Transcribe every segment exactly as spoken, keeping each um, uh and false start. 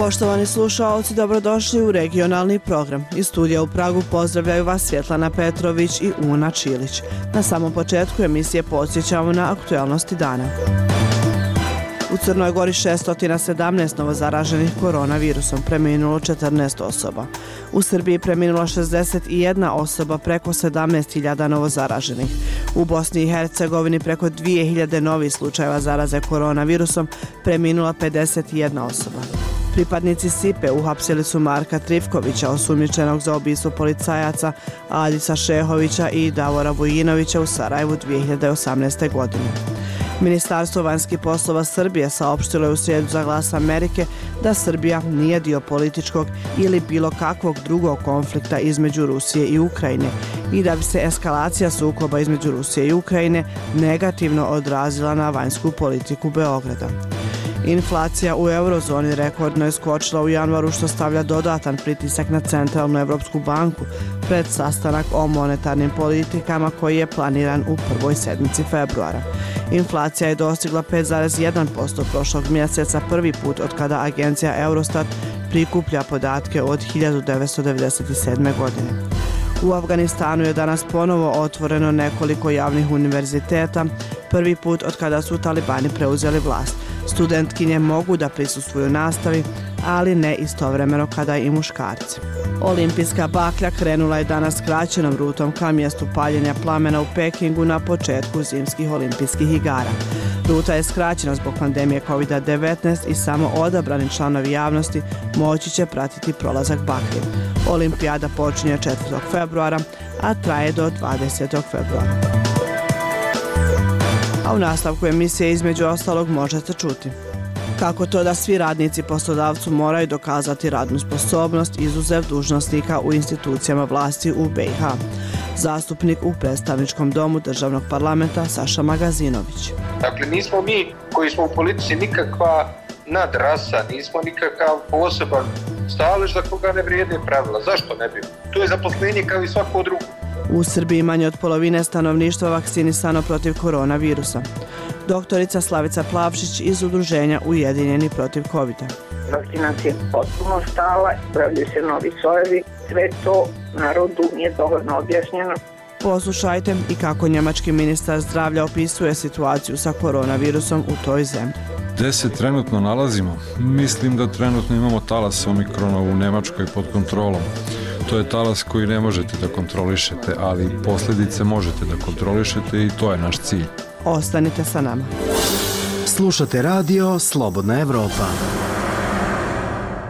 Poštovani slušaoci, dobrodošli u regionalni program. Iz studija u Pragu pozdravljaju vas Svjetlana Petrović i Una Čilić. Na samom početku emisije podsjećamo na aktualnosti dana. U Crnoj Gori šesto sedamnaest novozaraženih koronavirusom, preminulo četrnaest osoba. U Srbiji preminula šezdeset jedna osoba, preko sedamnaest hiljada novozaraženih. U Bosni i Hercegovini preko dvije hiljade novih slučajeva zaraze koronavirusom, preminula pedeset jedna osoba. Pripadnici Sipe uhapsili su Marka Trifkovića, osumnjičenog za ubistvo policajaca Adisa Šehovića i Davora Vujinovića u Sarajevu dvije hiljade osamnaeste. godine. Ministarstvo vanjskih poslova Srbije saopštilo je u srijedu za Glas Amerike da Srbija nije dio političkog ili bilo kakvog drugog konflikta između Rusije i Ukrajine i da bi se eskalacija sukoba između Rusije i Ukrajine negativno odrazila na vanjsku politiku Beograda. Inflacija u eurozoni rekordno je skočila u januaru, što stavlja dodatan pritisak na Centralnu Evropsku banku pred sastanak o monetarnim politikama koji je planiran u prvoj sedmici februara. Inflacija je dostigla pet zarez jedan posto prošlog mjeseca, prvi put od kada agencija Eurostat prikuplja podatke od hiljadu devetsto devedeset sedme. godine. U Afganistanu je danas ponovo otvoreno nekoliko javnih univerziteta, prvi put od kada su talibani preuzeli vlast. Studentkinje mogu da prisustvuju nastavi, ali ne istovremeno kada i muškarci. Olimpijska baklja krenula je danas skraćenom rutom ka mjestu paljenja plamena u Pekingu na početku zimskih olimpijskih igara. Ruta je skraćena zbog pandemije kovid devetnaest i samo odabrani članovi javnosti moći će pratiti prolazak baklje. Olimpijada počinje četvrtog februara, a traje do dvadesetog februara. A u nastavku emisije između ostalog možete čuti kako to da svi radnici poslodavcu moraju dokazati radnu sposobnost izuzev dužnosnika u institucijama vlasti u be i ha. Zastupnik u predstavničkom domu državnog parlamenta Saša Magazinović. Dakle, nismo mi koji smo u politici nikakva nadrasa, nismo nikakav poseban stalež za koga ne vrijede pravila. Zašto ne bi? To je zaposlenje kao i svako drugo. U Srbiji manje od polovine stanovništva vakcinisano protiv koronavirusa. Doktorica Slavica Plavšić iz udruženja Ujedinjeni protiv kovida. Vakcinacija je potpuno stala, pravljaju se novi sojevi, sve to narodu nije dovoljno objašnjeno. Poslušajte i kako njemački ministar zdravlja opisuje situaciju sa koronavirusom u toj zemlji. Gde se trenutno nalazimo? Mislim da trenutno imamo talas omikrona u Nemačkoj pod kontrolom. To je talas koji ne možete da kontrolišete, ali posljedice možete da kontrolišete i to je naš cilj. Ostanite sa nama. Slušate radio Slobodna Evropa.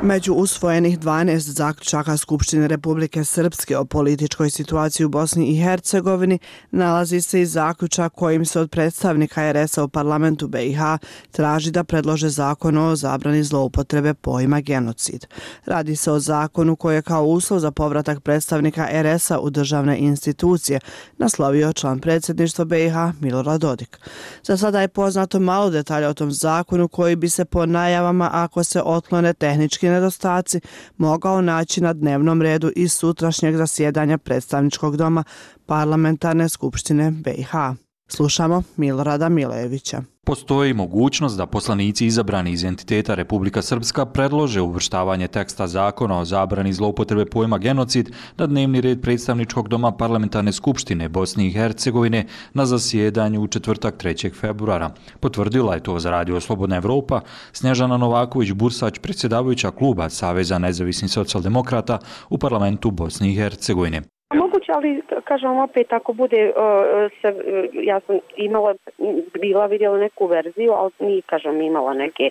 Među usvojenih dvanaest zaključaka Skupštine Republike Srpske o političkoj situaciji u Bosni i Hercegovini nalazi se i zaključak kojim se od predstavnika er es a u parlamentu be i ha traži da predlože zakon o zabrani zloupotrebe pojma genocid. Radi se o zakonu koji je kao uslov za povratak predstavnika er es a u državne institucije naslovio član predsjedništva be i ha Milorad Dodik. Za sada je poznato malo detalja o tom zakonu koji bi se po najavama, ako se otklone tehnički nedostaci, mogao naći na dnevnom redu iz sutrašnjeg zasjedanja predstavničkog doma Parlamentarne skupštine be i ha. Slušamo Milorada Milejevića. Postoji mogućnost da poslanici izabrani iz entiteta Republika Srpska predlože uvrštavanje teksta zakona o zabrani zloupotrebe pojma genocid na dnevni red predstavničkog doma Parlamentarne skupštine Bosne i Hercegovine na zasjedanju u četvrtak trećeg februara. Potvrdila je to za Radio Slobodna Evropa Snježana Novaković-Bursać, predsjedavajuća kluba Saveza nezavisnih socijaldemokrata u parlamentu Bosne i Hercegovine. Moguće, ali kažem opet, ako bude, se, ja sam imala, bila vidjela neku verziju, ali nije, kažem, imala neke,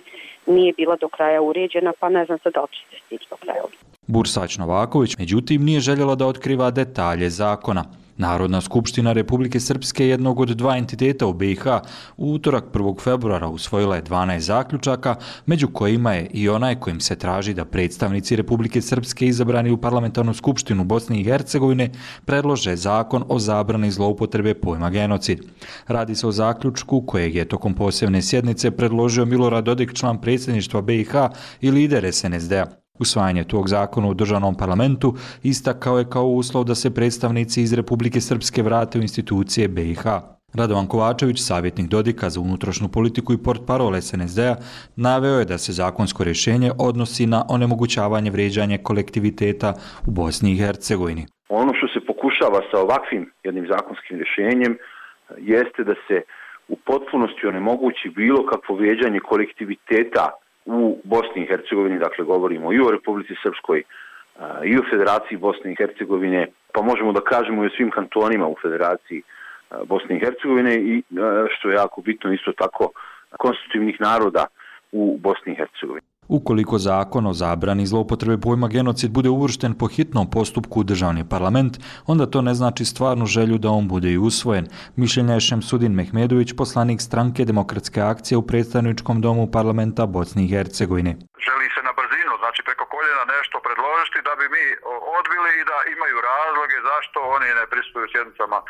nije bila do kraja uređena, pa ne znam se da li će se stići do kraja. Bursać Novaković, međutim, nije željela da otkriva detalje zakona. Narodna skupština Republike Srpske, jednog od dva entiteta u be i ha, u utorak prvog februara usvojila je dvanaest zaključaka, među kojima je i onaj kojim se traži da predstavnici Republike Srpske izabrani u Parlamentarnu skupštinu Bosne i Hercegovine predlože zakon o zabrani zloupotrebe pojma genocid. Radi se o zaključku kojeg je tokom posebne sjednice predložio Milorad Dodik, član predsjedništva be i ha i lider es en es de a. Usvajanje tog zakona u državnom parlamentu istakao je kao uslov da se predstavnici iz Republike Srpske vrate u institucije be i ha. Radovan Kovačević, savjetnik Dodika za unutrašnju politiku i portparol es en es de a, naveo je da se zakonsko rješenje odnosi na onemogućavanje vrijeđanja kolektiviteta u Bosni i Hercegovini. Ono što se pokušava sa ovakvim jednim zakonskim rješenjem jeste da se u potpunosti onemogući bilo kakvo vrijeđanje kolektiviteta u Bosni i Hercegovini, dakle govorimo i o Republici Srpskoj i o Federaciji Bosne i Hercegovine, pa možemo da kažemo i o svim kantonima u Federaciji Bosne i Hercegovine i, što je jako bitno, isto tako konstitutivnih naroda u Bosni i Hercegovini. Ukoliko zakon o zabrani zloupotrebe pojma genocid bude uvršten po hitnom postupku u državni parlament, onda to ne znači stvarnu želju da on bude i usvojen. Mišljenja je Šemsudin Mehmedović, poslanik stranke Demokratske akcije u predstavničkom domu parlamenta Bosne i Hercegovine. Želi se na brzinu, znači preko koljena nešto predložiti da bi mi odbili i da imaju razloge zašto oni ne prisustuju sjednicama e,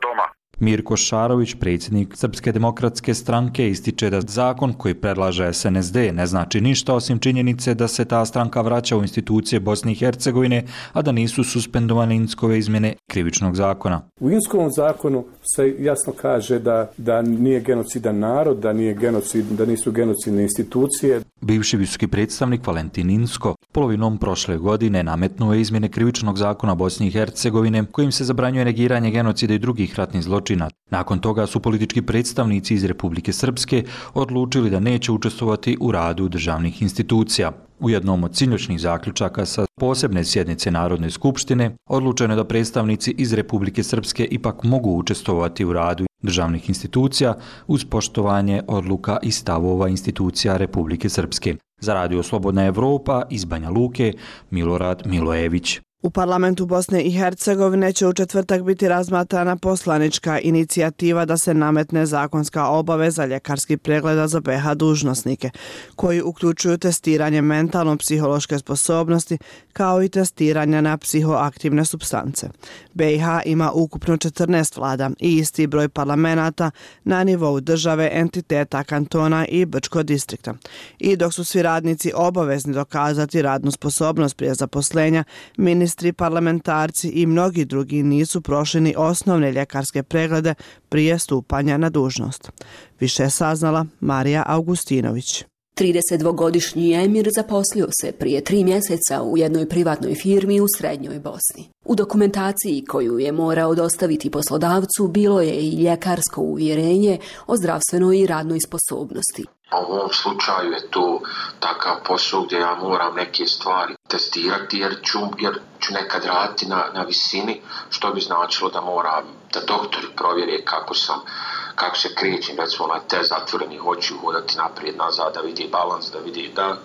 doma. Mirko Šarović, predsjednik Srpske demokratske stranke, ističe da zakon koji predlaže es en es de ne znači ništa osim činjenice da se ta stranka vraća u institucije Bosne i Hercegovine, a da nisu suspendovane Inskove izmjene krivičnog zakona. U Inskovom zakonu se jasno kaže da, da nije genocidan narod, da, nije genocid, da nisu genocidne institucije. Bivši visoki predstavnik Valentin Insko polovinom prošle godine nametnuo je izmjene krivičnog zakona Bosne i Hercegovine kojim se zabranjuje negiranje genocida i drugih ratnih zločina. Nakon toga su politički predstavnici iz Republike Srpske odlučili da neće učestvovati u radu državnih institucija. U jednom od sinoćnih zaključaka sa posebne sjednice Narodne skupštine odlučeno je da predstavnici iz Republike Srpske ipak mogu učestvovati u radu državnih institucija uz poštovanje odluka i stavova institucija Republike Srpske. Za Radio Slobodna Evropa iz Banja Luke, Milorad Milojević. U parlamentu Bosne i Hercegovine će u četvrtak biti razmatrana poslanička inicijativa da se nametne zakonska obaveza ljekarskih pregleda za be ha dužnosnike, koji uključuju testiranje mentalno-psihološke sposobnosti kao i testiranja na psihoaktivne supstance. be ha ima ukupno četrnaest vlada i isti broj parlamenata na nivou države, entiteta, kantona i Brčko distrikta. I dok su svi radnici obavezni dokazati radnu sposobnost prije zaposlenja, ministri Ministri, parlamentarci i mnogi drugi nisu prošli ni osnovne ljekarske preglede prije stupanja na dužnost. Više je saznala Marija Augustinović. tridesetdvogodišnji emir zaposlio se prije tri mjeseca u jednoj privatnoj firmi u srednjoj Bosni. U dokumentaciji koju je morao dostaviti poslodavcu bilo je i ljekarsko uvjerenje o zdravstvenoj i radnoj sposobnosti. U ovom slučaju je to takav posao gdje ja moram neke stvari testirati jer ću, jer ću nekad raditi na, na visini, što bi značilo da moram, da doktori provjere kako sam, kako se krećem, recimo na te zatvorenih očiju hodati naprijed, nazad, da vidi balans, da vidi da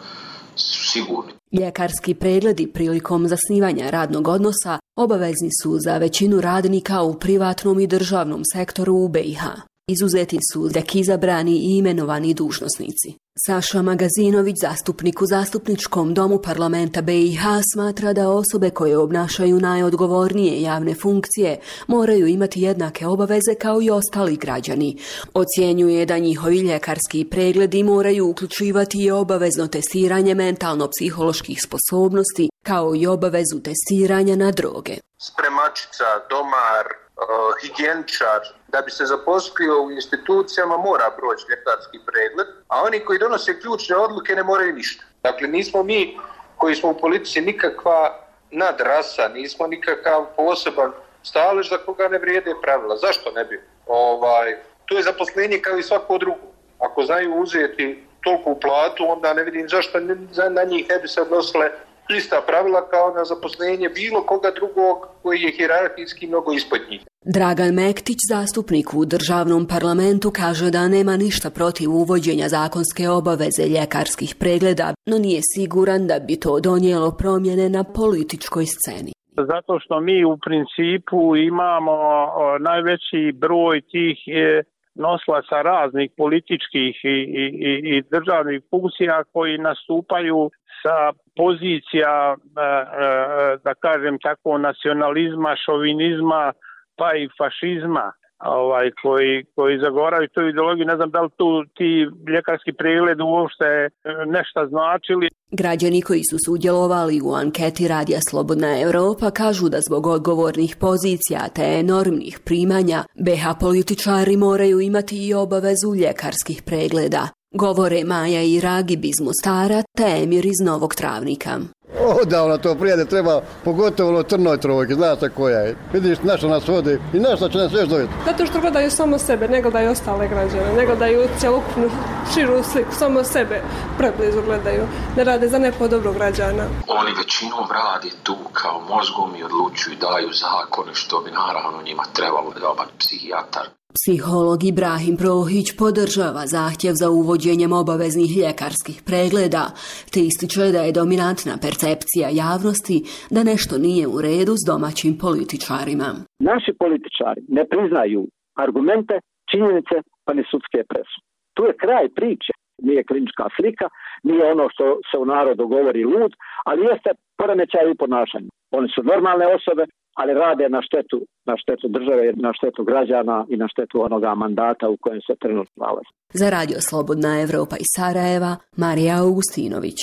su sigurni. Ljekarski pregledi prilikom zasnivanja radnog odnosa obavezni su za većinu radnika u privatnom i državnom sektoru u be ha. Izuzeti su tek izabrani i imenovani dužnosnici. Saša Magazinović, zastupnik u zastupničkom domu parlamenta be ha, smatra da osobe koje obnašaju najodgovornije javne funkcije moraju imati jednake obaveze kao i ostali građani. Ocjenjuje da njihovi ljekarski pregledi moraju uključivati i obavezno testiranje mentalno-psiholoških sposobnosti kao i obavezu testiranja na droge. Spremačica, domar, uh, higijeničar, da bi se zaposlio u institucijama mora proći ljekarski pregled, a oni koji donose ključne odluke ne moraju ništa. Dakle, nismo mi koji smo u politici nikakva nadrasa, nismo nikakav poseban stalež za koga ne vrijede pravila. Zašto ne bi? Ovaj, to je zaposlenje kao i svako drugo. Ako znaju uzeti toliku platu, onda ne vidim zašto na njih ne bi se odnosile ista pravila kao na zaposlenje bilo koga drugog koji je hijerarhijski mnogo ispod njih. Dragan Mektić, zastupnik u državnom parlamentu, kaže da nema ništa protiv uvođenja zakonske obaveze ljekarskih pregleda, no nije siguran da bi to donijelo promjene na političkoj sceni. Zato što mi u principu imamo najveći broj tih noslaca raznih političkih i, i, i državnih funkcija koji nastupaju sa pozicija, da kažem tako, nacionalizma, šovinizma, pa i fašizma. ovaj, koji, koji zagovaraju tu ideologiju. Ne znam da li tu ti ljekarski pregled uopšte nešto značili. Građani koji su sudjelovali u anketi Radija Slobodna Evropa kažu da zbog odgovornih pozicija te enormnih primanja be ha političari moraju imati i obavezu ljekarskih pregleda. Govore Maja i Ragib iz Mostara te Emir iz Novog Travnika. Odavno to prijede treba, pogotovo ono Trnoj Trojke, znate koja je. Vidiš na što nas vodi i na što će nas još dovesti. Zato što gledaju samo sebe, ne gledaju ostale građane, ne gledaju cjelokupnu širu sliku, samo sebe preblizu gledaju, ne rade za neko dobro građana. Oni većinom rade tu kao mozgom i odlučuju i daju zakone što bi naravno njima trebalo dobar psihijatar. Psiholog Ibrahim Prohić podržava zahtjev za uvođenjem obaveznih ljekarskih pregleda, te ističe da je dominantna percepcija javnosti da nešto nije u redu s domaćim političarima. Naši političari ne priznaju argumente, činjenice pa ni sudske presude. Tu je kraj priče. Nije klinička slika, nije ono što se u narodu govori lud, ali jeste poremećaj u ponašanju. Oni su normalne osobe, ali rade na štetu, na štetu države, na štetu građana i na štetu onoga mandata u kojem se trenutno nalazi. Za Radio Slobodna Evropa iz Sarajeva, Marija Augustinović.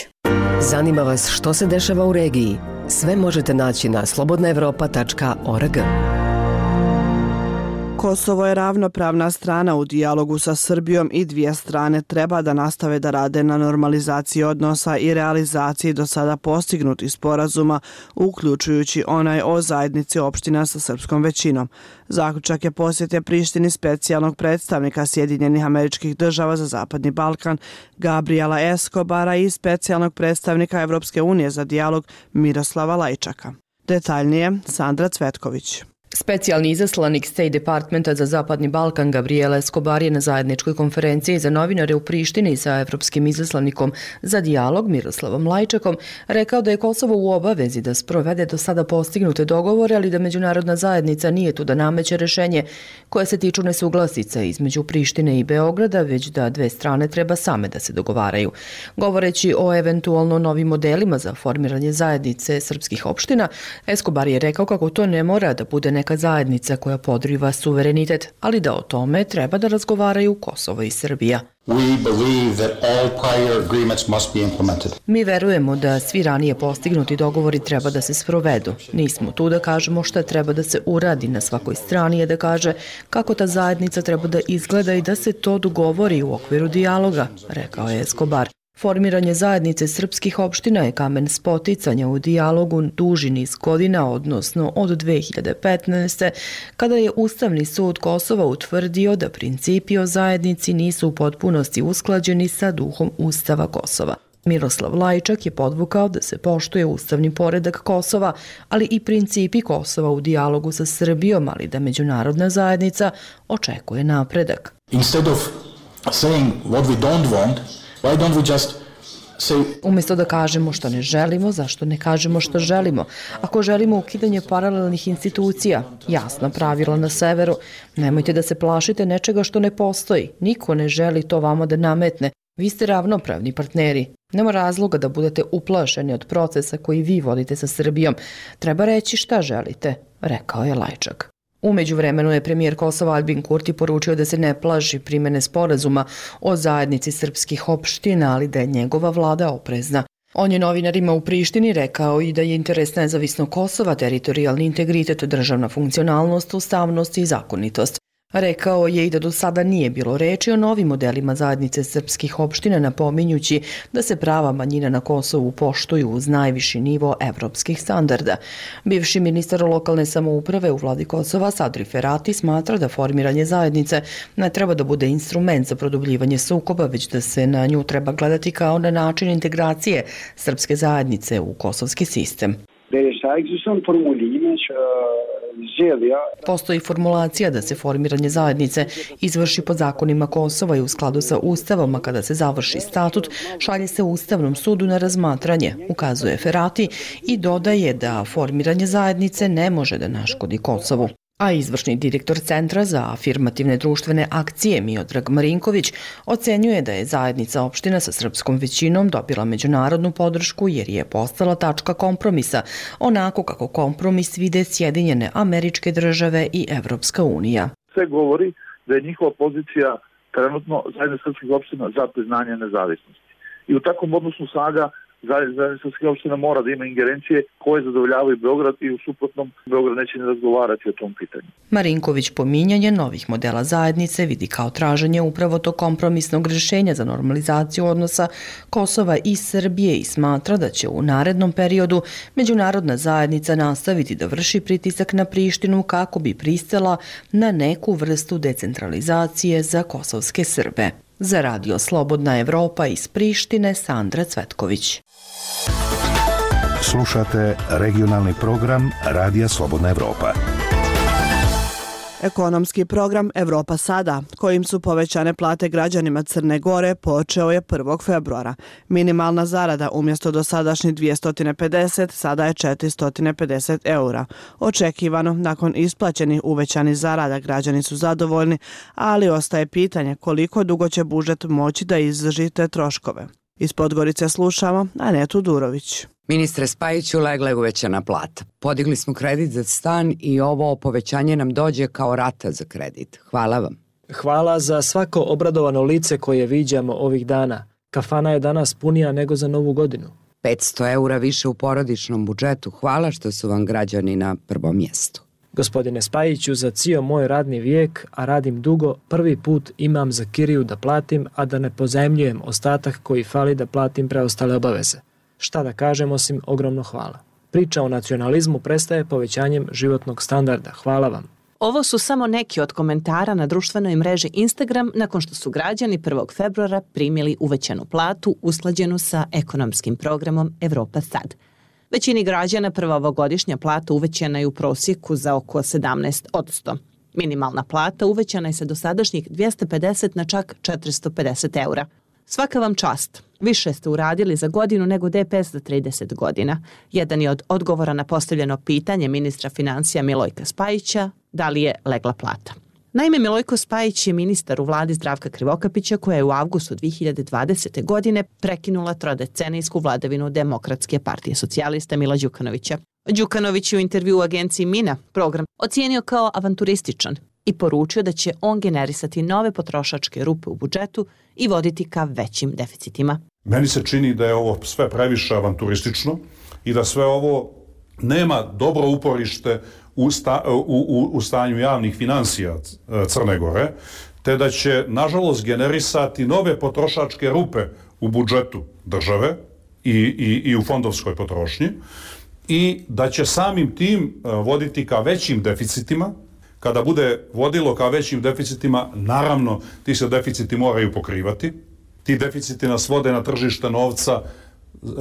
Zanima vas što se dešava u regiji? Sve možete naći na slobodna evropa tačka org. Kosovo je ravnopravna strana u dijalogu sa Srbijom i dvije strane treba da nastave da rade na normalizaciji odnosa i realizaciji do sada postignutih sporazuma, uključujući onaj o zajednici opština sa srpskom većinom. Zaključak je posjete Prištini specijalnog predstavnika Sjedinjenih Američkih Država za Zapadni Balkan Gabriela Escobara i specijalnog predstavnika Evropske unije za dijalog Miroslava Lajčaka. Detaljnije, Sandra Cvetković. Specijalni izaslanik State Departmenta za Zapadni Balkan Gabriel Escobar je na zajedničkoj konferenciji za novinare u Prištini sa evropskim izaslanikom za dijalog Miroslavom Lajčakom rekao da je Kosovo u obavezi da sprovede do sada postignute dogovore, ali da međunarodna zajednica nije tu da nameće rešenje koje se tiču nesuglasica između Prištine i Beograda, već da dve strane treba same da se dogovaraju. Govoreći o eventualno novim modelima za formiranje zajednice srpskih opština, Escobar je rekao kako to ne mora da bude neka zajednica koja podriva suverenitet, ali da o tome treba da razgovaraju Kosovo i Srbija. Mi verujemo da svi ranije postignuti dogovori treba da se sprovedu. Nismo tu da kažemo šta treba da se uradi, na svakoj strani je da kaže kako ta zajednica treba da izgleda i da se to dogovori u okviru dijaloga, rekao je Escobar. Formiranje zajednice srpskih opština je kamen spoticanja u dijalogu duži niz godina, odnosno od dve hiljade petnaeste. kada je Ustavni sud Kosova utvrdio da principi o zajednici nisu u potpunosti usklađeni sa duhom Ustava Kosova. Miroslav Lajčak je podvukao da se poštuje ustavni poredak Kosova, ali i principi Kosova u dijalogu sa Srbijom, ali da međunarodna zajednica očekuje napredak. Instead of saying what we don't want, why don't we just say... Umjesto da kažemo što ne želimo, zašto ne kažemo što želimo? Ako želimo ukidanje paralelnih institucija, jasna pravila na severu, nemojte da se plašite nečega što ne postoji. Niko ne želi to vama da nametne. Vi ste ravnopravni partneri. Nema razloga da budete uplašeni od procesa koji vi vodite sa Srbijom. Treba reći šta želite, rekao je Lajčak. U međuvremenu je premijer Kosova Albin Kurti poručio da se ne plaši primene sporazuma o zajednici srpskih opština, ali da je njegova vlada oprezna. On je novinarima u Prištini rekao i da je interes nezavisnog Kosova, teritorijalni integritet, državna funkcionalnost, ustavnost i zakonitost. Rekao je i da do sada nije bilo reči o novim modelima zajednice srpskih opština, napominjući da se prava manjina na Kosovu poštuju uz najviši nivo evropskih standarda. Bivši ministar lokalne samouprave u vladi Kosova Sadri Ferati smatra da formiranje zajednice ne treba da bude instrument za produbljivanje sukoba, već da se na nju treba gledati kao na način integracije srpske zajednice u kosovski sistem. Postoji formulacija da se formiranje zajednice izvrši pod zakonima Kosova i u skladu sa Ustavom, a kada se završi statut, šalje se Ustavnom sudu na razmatranje, ukazuje Ferati i dodaje da formiranje zajednice ne može da naškodi Kosovu. A izvršni direktor Centra za afirmativne društvene akcije Miodrag Marinković ocenjuje da je zajednica opština sa srpskom većinom dobila međunarodnu podršku jer je postala tačka kompromisa, onako kako kompromis vide Sjedinjene Američke Države i Evropska unija. sve govori da je njihova pozicija trenutno zajednica srpskih opština za priznanje nezavisnosti. I u takvom odnosu snaga zajednica srpskih opština mora da ima ingerencije koje zadovoljavaju Beograd i u suprotnom Beograd neće ne razgovarati o tom pitanju. Marinković pominjanje novih modela zajednice vidi kao traženje upravo to kompromisnog rješenja za normalizaciju odnosa Kosova i Srbije i smatra da će u narednom periodu međunarodna zajednica nastaviti da vrši pritisak na Prištinu kako bi pristala na neku vrstu decentralizacije za kosovske Srbe. Za Radio Slobodna Evropa iz Prištine, Sandra Cvetković. Slušate regionalni program Radija Slobodna Evropa. Ekonomski program Evropa sada, kojim su povećane plate građanima Crne Gore, počeo je prvog februara. Minimalna zarada umjesto dosadašnjih dvjesto pedeset, sada je četiristo pedeset eura. Očekivano, nakon isplaćenih uvećanih zarada građani su zadovoljni, ali ostaje pitanje koliko dugo će budžet moći da izdrži te troškove. Iz Podgorice slušamo Anetu Durović. Ministre Spajiću, legla je uvećana plata. Podigli smo kredit za stan i ovo povećanje nam dođe kao rata za kredit. Hvala vam. Hvala za svako obradovano lice koje viđamo ovih dana. Kafana je danas punija nego za Novu godinu. petsto eura više u porodičnom budžetu. Hvala što su vam građani na prvom mjestu. Gospodine Spajiću, za cijel moj radni vijek, a radim dugo, prvi put imam za kiriju da platim, a da ne pozajmljujem ostatak koji fali da platim preostale obaveze. Šta da kažem osim ogromno hvala. Priča o nacionalizmu prestaje povećanjem životnog standarda. Hvala vam. Ovo su samo neki od komentara na društvenoj mreži Instagram nakon što su građani prvog februara primili uvećanu platu usklađenu sa ekonomskim programom Evropa sad. Većini građana prva ovogodišnja plata uvećana je u prosjeku za oko sedamnaest posto. Minimalna plata uvećana je sa dosadašnjih dvjesto pedeset na čak četiristo pedeset eura. Svaka vam čast. Više ste uradili za godinu nego D P S za trideset godina. Jedan je od odgovora na postavljeno pitanje ministra financija Milojka Spajića, da li je legla plata. Naime, Milojko Spajić je ministar u vladi Zdravka Krivokapića koja je u avgustu dvije hiljade dvadesete. godine prekinula trodecenijsku vladavinu Demokratske partije socijalista Mila Đukanovića. Đukanović je u intervju u agenciji Mina program ocijenio kao avanturističan i poručio da će on generisati nove potrošačke rupe u budžetu i voditi ka većim deficitima. Meni se čini da je ovo sve previše avanturistično i da sve ovo nema dobro uporište u, sta, u, u, u stanju javnih financija Crne Gore, te da će, nažalost, generisati nove potrošačke rupe u budžetu države i, i, i u fondovskoj potrošnji i da će samim tim voditi ka većim deficitima. Kada bude vodilo ka većim deficitima, naravno, ti se deficiti moraju pokrivati. Ti deficiti nas vode na tržište novca uh, uh,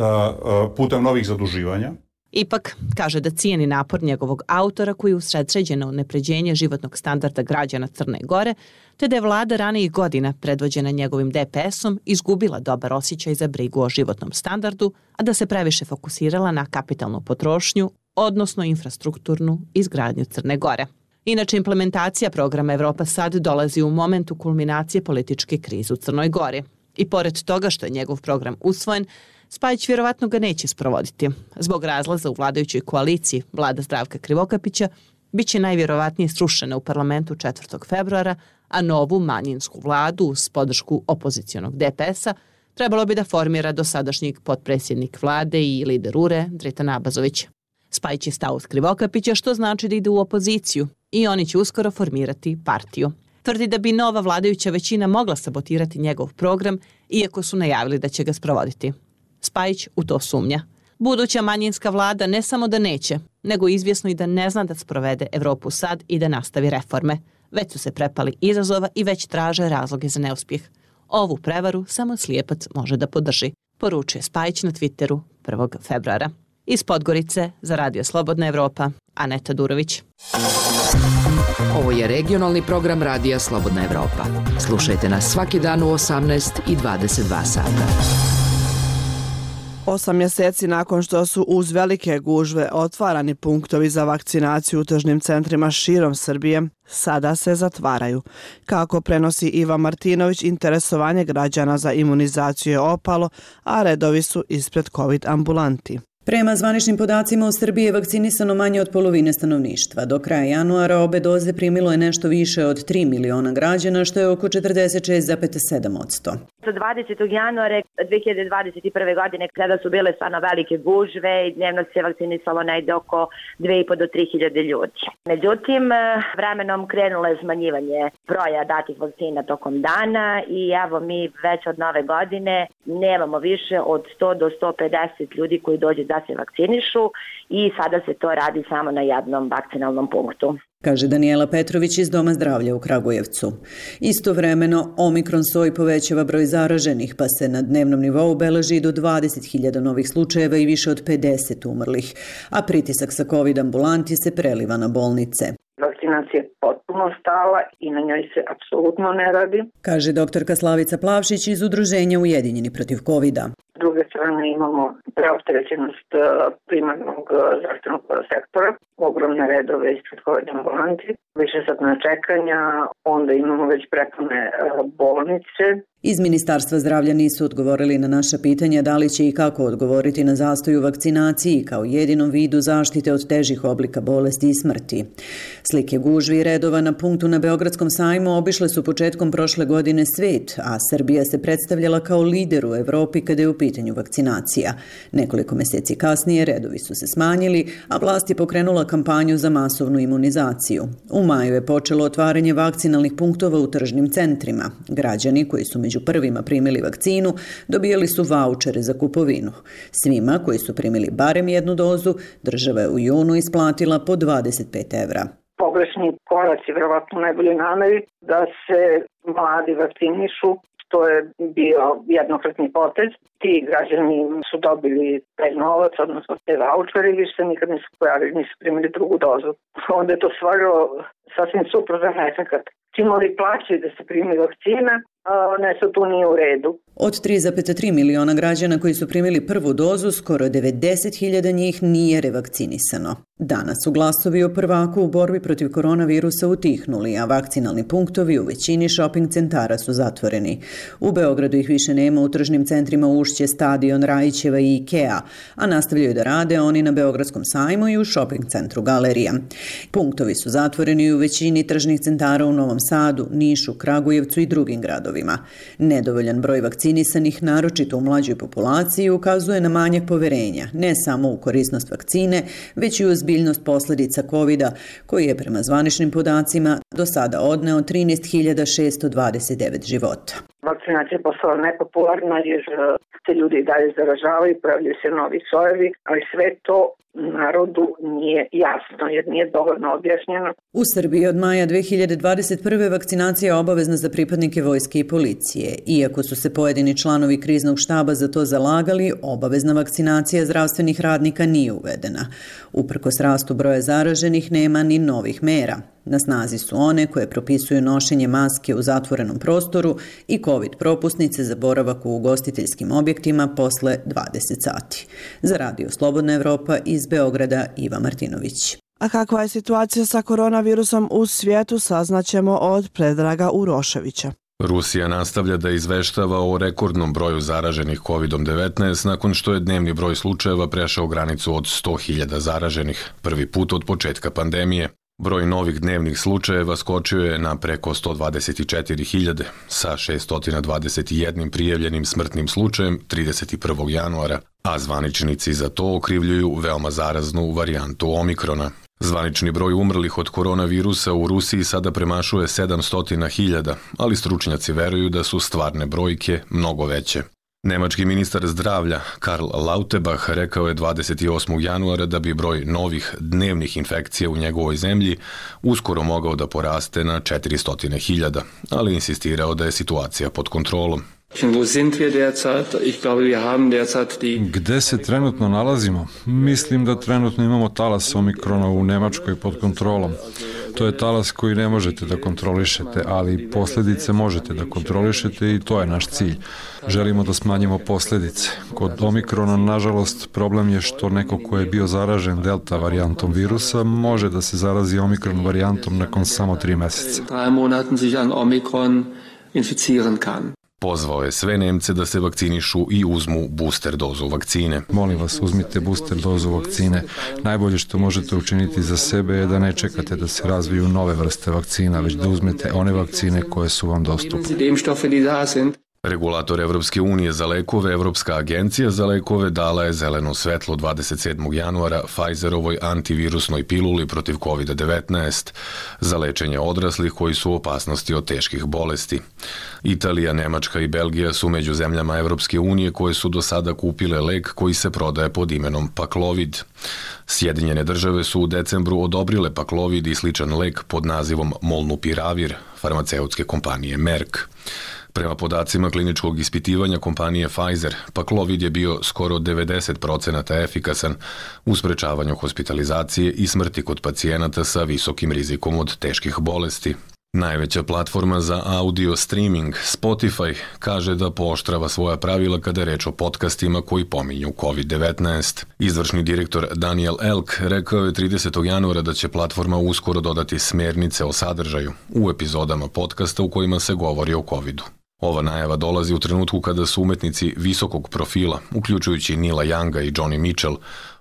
putem novih zaduživanja. Ipak, kaže da cijeni napor njegovog autora koji usredsređen na unapređenje životnog standarda građana Crne Gore, te da je vlada ranijih godina predvođena njegovim D P S-om izgubila dobar osjećaj za brigu o životnom standardu, a da se previše fokusirala na kapitalnu potrošnju, odnosno infrastrukturnu izgradnju Crne Gore. Inače, implementacija programa Evropa sad dolazi u momentu kulminacije političke krize u Crnoj Gori. I pored toga što je njegov program usvojen, Spajić vjerovatno ga neće sprovoditi. Zbog razlaza u vladajućoj koaliciji vlada Zdravka Krivokapića bit će najvjerovatnije srušena u parlamentu četvrtog februara, a novu manjinsku vladu uz podršku opozicionog D P S-a trebalo bi da formira dosadašnjeg potpredsjednik vlade i lider U R E Dritan Abazović. Spajić je stao uz Krivokapića, što znači da ide u opoziciju i oni će uskoro formirati partiju. Tvrdi da bi nova vladajuća većina mogla sabotirati njegov program, iako su najavili da će ga sprovoditi. Spajić u to sumnja. Buduća manjinska vlada ne samo da neće, nego izvjesno i da ne zna da sprovede Evropu sad i da nastavi reforme. Već su se prepali izazova i već traže razloge za neuspjeh. Ovu prevaru samo slijepac može da podrži, poručuje Spajić na Twitteru prvog februara. Iz Podgorice za Radio Slobodna Evropa, Aneta Durović. Ovo je regionalni program Radija Slobodna Evropa. Slušajte nas svaki dan u osamnaest i dvadeset dva sata. Osam mjeseci nakon što su uz velike gužve otvarani punktovi za vakcinaciju u tržnim centrima širom Srbije, sada se zatvaraju. Kako prenosi Iva Martinović, interesovanje građana za imunizaciju je opalo, a redovi su ispred COVID ambulanti. Prema zvaničnim podacima u Srbiji je vakcinisano manje od polovine stanovništva. Do kraja januara obe doze primilo je nešto više od tri miliona građana, što je oko četrdeset šest zarez sedam posto. Za dvadesetog januara dve hiljade dvadeset prve. godine, kada su bile stvarno velike gužve i dnevno se vakcinisalo negde oko dve i po do tri hiljade ljudi. Međutim, vremenom krenulo je smanjivanje broja datih vakcina tokom dana i evo mi već od nove godine nemamo više od sto do sto pedeset ljudi koji dođe da se vakcinišu i sada se to radi samo na jednom vakcinalnom punktu, kaže Danijela Petrović iz Doma zdravlja u Kragujevcu. Istovremeno, omikron soj povećava broj zaraženih, pa se na dnevnom nivou beleži do dvadeset hiljada novih slučajeva i više od pedeset umrlih, a pritisak sa COVID ambulanti se preliva na bolnice. Vakcinacija je potpuno stala i na njoj se apsolutno ne radi, kaže doktorka Slavica Plavšić iz Udruženja Ujedinjeni protiv kovida. S druge strane imamo preopterećenost primarnog zdravstvenog sektora, ogromne redove ispred COVID ambulanti, više satna čekanja, onda imamo već prepune bolnice. Iz Ministarstva zdravlja nisu odgovorili na naša pitanja da li će i kako odgovoriti na zastoj u vakcinaciji kao jedinom vidu zaštite od težih oblika bolesti i smrti. Slike gužvi i redova na punktu na Beogradskom sajmu obišle su početkom prošle godine svet, a Srbija se predstavljala kao lider u Evropi kada je u pitanju vakcinacija. Nekoliko meseci kasnije redovi su se smanjili, a vlast je pokrenula kampanju za masovnu imunizaciju. U maju je počelo otvaranje vakcinalnih punktova u tržnim centrima. Građani koji su među prvima primili vakcinu dobijali su vaučere za kupovinu. Svima koji su primili barem jednu dozu, država je u junu isplatila po dvadeset pet evra. Pogrešni koraci, verovatno najbolje nameri da se mladi vakcinišu, što je bio jednokratni potez. Ti građani su dobili taj novac, odnosno te vaučere i više se nikad nisu pojavili, nisu primili drugu dozu. Onda je to stvarilo sasvim suprotan efekat. Čim ovi plaćaju da se primi vakcina, nešto tu nije u redu. Od tri zarez tri miliona građana koji su primili prvu dozu, skoro devedeset hiljada njih nije revakcinisano. Danas su glasovi o prvaku u borbi protiv koronavirusa utihnuli, a vakcinalni punktovi u većini shopping centara su zatvoreni. U Beogradu ih više nema u tržnim centrima Ušće, Stadion, Rajićeva i Ikea, a nastavljaju da rade oni na Beogradskom sajmu i u shopping centru Galerija. Punktovi su zatvoreni u većini tržnih centara u Novom Sadu, Nišu, Kragujevcu i drugim gradovima. Nedovoljan broj vakcinisanih, naročito u mlađoj populaciji, ukazuje na manjak poverenja, ne samo u korisnost vakcine, već i u ozbiljnost posledica kovida, koji je prema zvaničnim podacima do sada odneo trinaest hiljada šesto dvadeset devet života. Vakcinacija je postala nepopularna jer se ljudi i dalje zaražavaju, pojavljaju se novi sojevi, ali sve to narodu nije jasno jer nije dovoljno objašnjeno. U Srbiji od maja dve hiljade dvadeset prve. vakcinacija je obavezna za pripadnike vojske i policije. Iako su se pojedini članovi kriznog štaba za to zalagali, obavezna vakcinacija zdravstvenih radnika nije uvedena. Uprkos rastu broja zaraženih nema ni novih mera. Na snazi su one koje propisuju nošenje maske u zatvorenom prostoru i COVID propusnice za boravak u ugostiteljskim objektima posle dvadeset sati. Za Radio Slobodna Evropa iz Beograda, Iva Martinović. A kakva je situacija sa koronavirusom u svijetu, saznaćemo od Predraga Uroševića. Rusija nastavlja da izveštava o rekordnom broju zaraženih kovid devetnaest nakon što je dnevni broj slučajeva prešao granicu od sto hiljada zaraženih, prvi put od početka pandemije. Broj novih dnevnih slučajeva skočio je na preko sto dvadeset četiri hiljade, sa šesto dvadeset jedan prijavljenim smrtnim slučajem trideset prvog januara, a zvaničnici za to okrivljuju veoma zaraznu varijantu omikrona. Zvanični broj umrlih od koronavirusa u Rusiji sada premašuje sedamsto hiljada, ali stručnjaci veruju da su stvarne brojke mnogo veće. Nemački ministar zdravlja Karl Lauterbach rekao je dvadeset osmog januara da bi broj novih dnevnih infekcija u njegovoj zemlji uskoro mogao da poraste na četiristo hiljada, ali insistirao da je situacija pod kontrolom. Gde se trenutno nalazimo? Mislim da trenutno imamo talas omikrona u Nemačkoj pod kontrolom. To je talas koji ne možete da kontrolišete, ali posljedice možete da kontrolišete i to je naš cilj. Želimo da smanjimo posljedice. Kod omikrona, nažalost, problem je što neko ko je bio zaražen delta varijantom virusa može da se zarazi omikron varijantom nakon samo tri meseca. Pozvao je sve Nemce da se vakcinišu i uzmu booster dozu vakcine. Molim vas, uzmite booster dozu vakcine. Najbolje što možete učiniti za sebe je da ne čekate da se razviju nove vrste vakcina, već da uzmete one vakcine koje su vam dostupne. Regulator Evropske unije za lekove, Evropska agencija za lekove, dala je zeleno svetlo dvadeset sedmog januara Pfizerovoj antivirusnoj piluli protiv kovid devetnaest za lečenje odraslih koji su u opasnosti od teških bolesti. Italija, Nemačka i Belgija su među zemljama Evropske unije koje su do sada kupile lek koji se prodaje pod imenom Paxlovid. Sjedinjene države su u decembru odobrile Paxlovid i sličan lek pod nazivom Molnupiravir farmaceutske kompanije Merck. Prema podacima kliničkog ispitivanja kompanije Pfizer, Paxlovid je bio skoro devedeset procenata efikasan u sprečavanju hospitalizacije i smrti kod pacijenata sa visokim rizikom od teških bolesti. Najveća platforma za audio streaming, Spotify, kaže da pooštrava svoja pravila kada je reč o podcastima koji pominju kovid devetnaest. Izvršni direktor Daniel Elk rekao je tridesetog januara da će platforma uskoro dodati smjernice o sadržaju u epizodama podcasta u kojima se govori o covidu. Ova najava dolazi u trenutku kada su umetnici visokog profila, uključujući Nila Younga i Johnny Mitchell,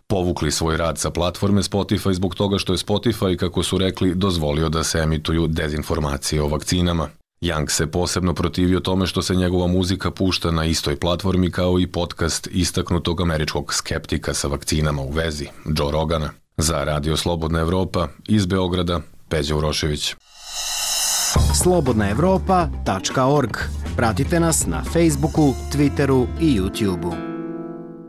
povukli svoj rad sa platforme Spotify zbog toga što je Spotify, kako su rekli, dozvolio da se emituju dezinformacije o vakcinama. Young se posebno protivio tome što se njegova muzika pušta na istoj platformi kao i podcast istaknutog američkog skeptika sa vakcinama u vezi, Joe Rogana. Za Radio Slobodna Evropa, iz Beograda, Peđa Urošević. slobodna evropa tačka org. Pratite nas na Facebooku, Twitteru i YouTubeu.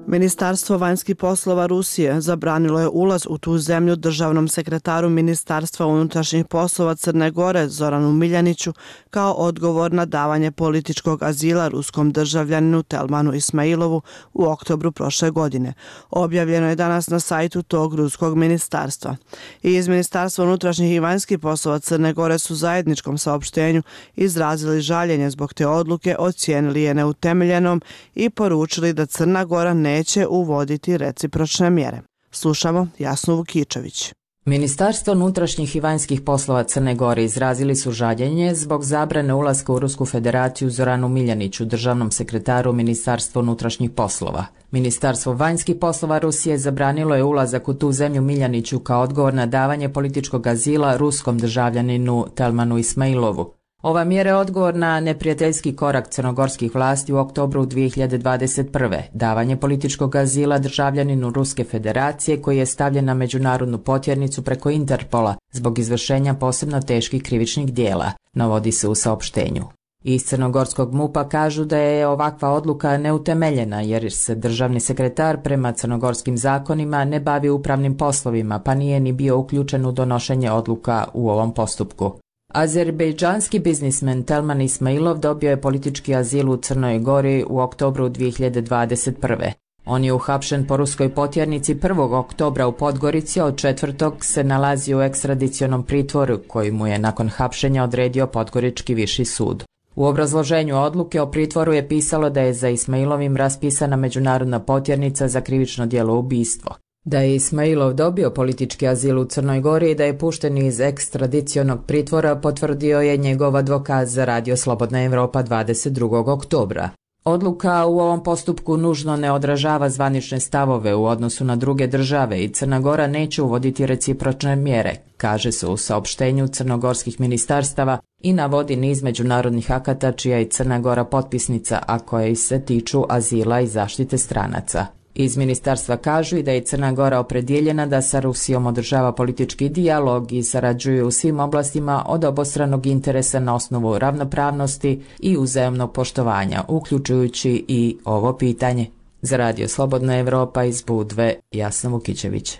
Ministarstvo vanjskih poslova Rusije zabranilo je ulaz u tu zemlju državnom sekretaru Ministarstva unutrašnjih poslova Crne Gore Zoranu Miljaniću kao odgovor na davanje političkog azila ruskom državljaninu Telmanu Ismailovu u oktobru prošle godine. Objavljeno je danas na sajtu tog ruskog ministarstva. I iz Ministarstva unutrašnjih i vanjskih poslova Crne Gore su zajedničkom saopštenju izrazili žaljenje zbog te odluke, ocijenili je neutemeljenom i poručili da Crna Gora ne neće uvoditi recipročne mjere. Slušamo Jasnu Vukičević. Ministarstvo unutrašnjih i vanjskih poslova Crne Gore izrazili su žaljenje zbog zabrane ulaska u Rusku federaciju Zoranu Miljaniću, državnom sekretaru Ministarstva unutrašnjih poslova. Ministarstvo vanjskih poslova Rusije zabranilo je ulazak u tu zemlju Miljaniću kao odgovor na davanje političkog azila ruskom državljaninu Telmanu Ismailovu. Ova mjera je odgovor na neprijateljski korak crnogorskih vlasti u oktobru dvije hiljade dvadeset prve. Davanje političkog azila državljaninu Ruske federacije koji je stavljen na međunarodnu potjernicu preko Interpola zbog izvršenja posebno teških krivičnih dijela, navodi se u saopštenju. Iz crnogorskog MUP-a kažu da je ovakva odluka neutemeljena jer se državni sekretar prema crnogorskim zakonima ne bavi upravnim poslovima pa nije ni bio uključen u donošenje odluka u ovom postupku. Azerbejdžanski biznismen Telman Ismailov dobio je politički azil u Crnoj Gori u oktobru dvije hiljade dvadeset prve. On je uhapšen po ruskoj potjernici prvog oktobra u Podgorici, a od četvrtog se nalazi u ekstradicionom pritvoru koji mu je nakon hapšenja odredio Podgorički viši sud. U obrazloženju odluke o pritvoru je pisalo da je za Ismailovim raspisana međunarodna potjernica za krivično djelo ubistvo. Da je Ismailov dobio politički azil u Crnoj Gori i da je pušten iz ekstradicionog pritvora potvrdio je njegov advokat za Radio Slobodna Evropa dvadeset drugog oktobra. Odluka u ovom postupku nužno ne odražava zvanične stavove u odnosu na druge države i Crna Gora neće uvoditi recipročne mjere, kaže se u saopštenju crnogorskih ministarstava i navodi niz međunarodnih akata čija je Crna Gora potpisnica, a koje se tiču azila i zaštite stranaca. Iz ministarstva kažu i da je Crna Gora opredjeljena da sa Rusijom održava politički dijalog i sarađuje u svim oblastima od obostranog interesa na osnovu ravnopravnosti i uzajamnog poštovanja, uključujući i ovo pitanje. Za Radio Slobodna Evropa iz Budve, Jasna Vukičević.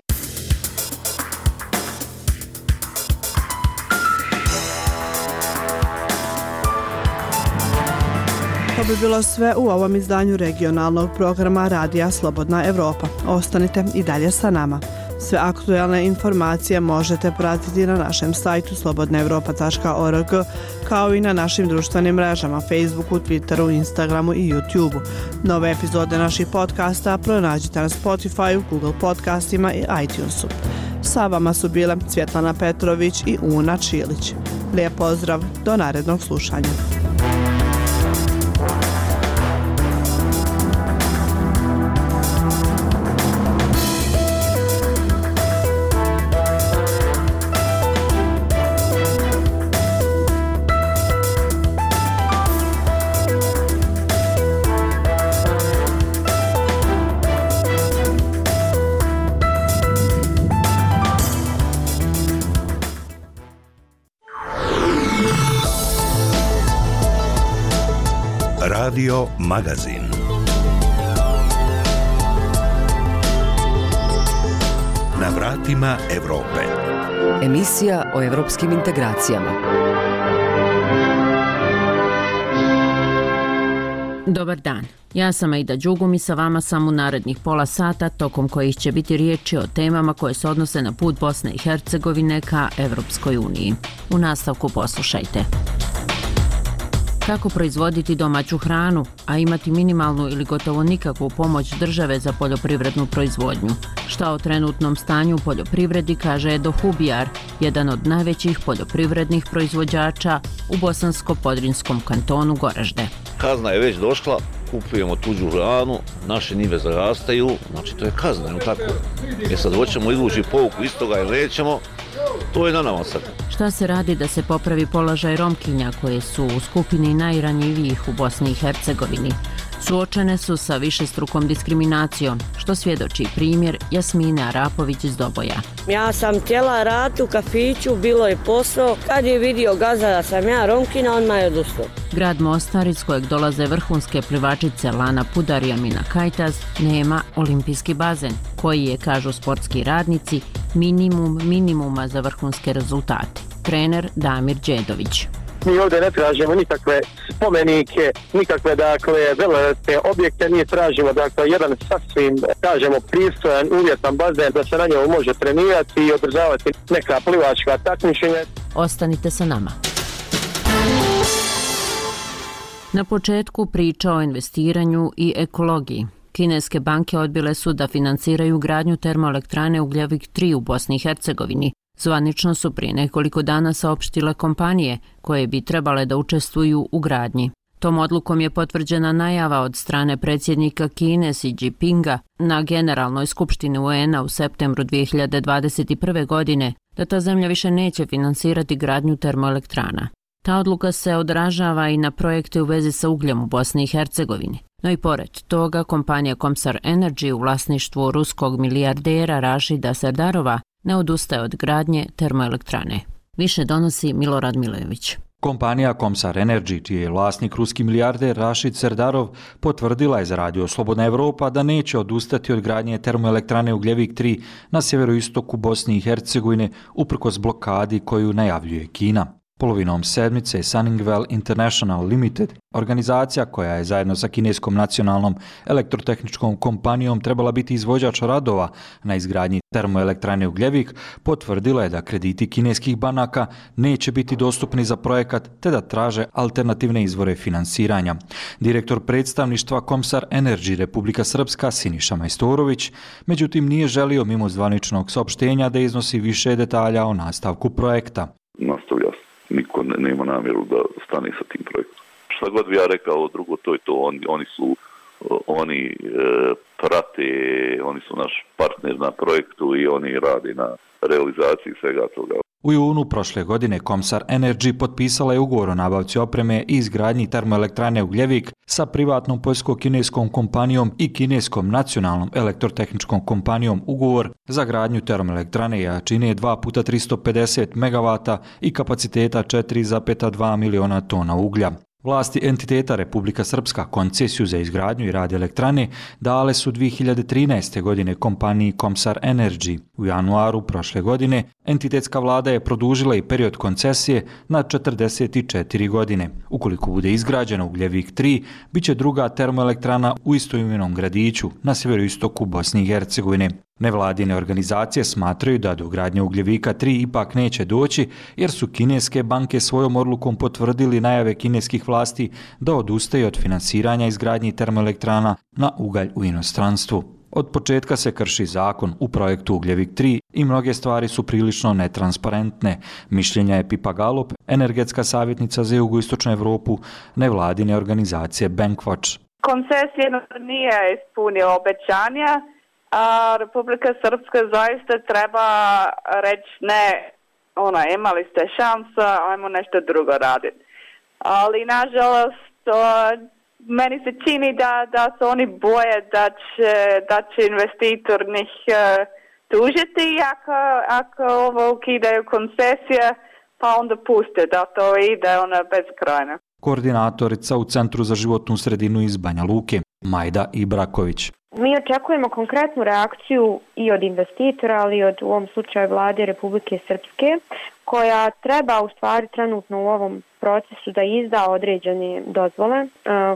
To bi bilo sve u ovom izdanju regionalnog programa Radija Slobodna Evropa. Ostanite i dalje sa nama. Sve aktuelne informacije možete pratiti na našem sajtu slobodna evropa tačka org, kao i na našim društvenim mrežama Facebooku, Twitteru, Instagramu i YouTubeu. Nove epizode naših podcasta pronađite na Spotify, Google podcastima i iTunesu. Sa vama su bile Svjetlana Petrović i Una Čilić. Lijep pozdrav, do narednog slušanja. Radio Magazin. Na vratima Evrope. Emisija o evropskim integracijama. Dobar dan. Ja sam Aida Đugum i sa vama sam u narednih pola sata, tokom kojih će biti riječi o temama koje se odnose na put Bosne i Hercegovine ka Evropskoj uniji. U nastavku poslušajte. Kako proizvoditi domaću hranu, a imati minimalnu ili gotovo nikakvu pomoć države za poljoprivrednu proizvodnju? Šta o trenutnom stanju u poljoprivredi kaže Edo Hubijar, jedan od najvećih poljoprivrednih proizvođača u bosansko-podrinjskom kantonu Goražde. Kazna je već došla, kupujemo tuđu hranu, naše njive zarastaju, znači to je kazna, no tako. Jer sad hoćemo izvući pouku iz toga ili nećemo, to je na nama sad. Šta se radi da se popravi položaj Romkinja koje su u skupini najranjivijih u Bosni i Hercegovini? Suočene su sa višestrukom diskriminacijom, što svjedoči primjer Jasmine Arapović iz Doboja. Ja sam htjela raditi u kafiću, bilo je posao. Kad je vidio gazda da sam ja Romkina, on je odustao. Grad Mostar, iz kojeg dolaze vrhunske plivačice Lana Pudar i Amina Kajtaz, nema olimpijski bazen, koji je, kažu sportski radnici, minimum minimuma za vrhunske rezultate. Trener Damir Đedović. Mi ovdje ne tražimo nikakve spomenike, nikakve, dakle, velelepne objekte, mi tražimo, dakle, jedan sasvim, kažemo, pristojan, uvjetan bazen da se na njemu može trenirati i održavati neka plivačka takmičenja. Ostanite sa nama. Na početku priča o investiranju i ekologiji. Kineske banke odbile su da financiraju gradnju termoelektrane Ugljevik tri u Bosni i Hercegovini. Zvanično su prije nekoliko dana saopštile kompanije koje bi trebale da učestvuju u gradnji. Tom odlukom je potvrđena najava od strane predsjednika Kine Xi Jinpinga na Generalnoj skupštini U N A u septembru dvije hiljade dvadeset prve. godine da ta zemlja više neće finansirati gradnju termoelektrana. Ta odluka se odražava i na projekte u vezi sa ugljem u Bosni i Hercegovini. No i pored toga, kompanija Komsar Energy u vlasništvu ruskog milijardera Rašida Serdarova ne odustaje od gradnje termoelektrane. Više donosi Milorad Milojević. Kompanija Komsar Energy, čiji je vlasnik ruski milijarder Rašid Serdarov, potvrdila je za radio Slobodna Evropa da neće odustati od gradnje termoelektrane Ugljevik tri na sjeveroistoku Bosne i Hercegovine uprkos blokadi koju najavljuje Kina. Polovinom sedmice Sunningwell International Limited, organizacija koja je zajedno sa kineskom nacionalnom elektrotehničkom kompanijom trebala biti izvođač radova na izgradnji termoelektrane Ugljevik, potvrdila je da krediti kineskih banaka neće biti dostupni za projekat te da traže alternativne izvore finansiranja. Direktor predstavništva Komsar Energy Republika Srpska Siniša Majstorović, međutim nije želio mimo zvaničnog saopštenja da iznosi više detalja o nastavku projekta. Nastavlja niko ne, nema namjeru da stane sa tim projektom. Šta god bi ja rekao drugo, to je to. Oni, oni su, oni e, prate, oni su naš partner na projektu i oni rade na realizaciji svega toga. U junu prošle godine Komsar Energy potpisala je ugovor o nabavci opreme i izgradnji termoelektrane Ugljevik sa privatnom poljsko-kineskom kompanijom i kineskom nacionalnom elektrotehničkom kompanijom ugovor za gradnju termoelektrane jačine dva puta tristo pedeset megavata i kapaciteta četiri zarez dva miliona tona uglja. Vlasti entiteta Republika Srpska koncesiju za izgradnju i rad elektrane dale su dvije hiljade trinaeste. godine kompaniji Komsar Energy. U januaru prošle godine entitetska vlada je produžila i period koncesije na četrdeset četiri godine. Ukoliko bude izgrađena Ugljevik tri, bit će druga termoelektrana u istoimenom gradiću na sjeveroistoku Bosne i Hercegovine. Nevladine organizacije smatraju da do gradnje Ugljevika tri ipak neće doći jer su kineske banke svojom odlukom potvrdili najave kineskih vlasti da odustaju od finansiranja izgradnji termoelektrana na ugalj u inostranstvu. Od početka se krši zakon u projektu Ugljevik tri i mnoge stvari su prilično netransparentne. Mišljenja je Pipa Galop, energetska savjetnica za jugoistočnu Evropu nevladine organizacije Bankwatch. Koncesija nije ispunila obećanja, a Republika Srpska zaista treba reći ne, ona, imali ste šansa, ajmo nešto drugo raditi. Ali nažalost, meni se čini da, da se oni boje da će, da će investitor njih uh, tužiti ako, ako ovo ukidaju koncesije, pa onda puste da to ide ona bezkrajno. Koordinatorica u Centru za životnu sredinu iz Banja Luke, Majda Ibraković. Mi očekujemo konkretnu reakciju i od investitora, ali i od u ovom slučaju vlade Republike Srpske, koja treba u stvari trenutno u ovom procesu da izda određene dozvole.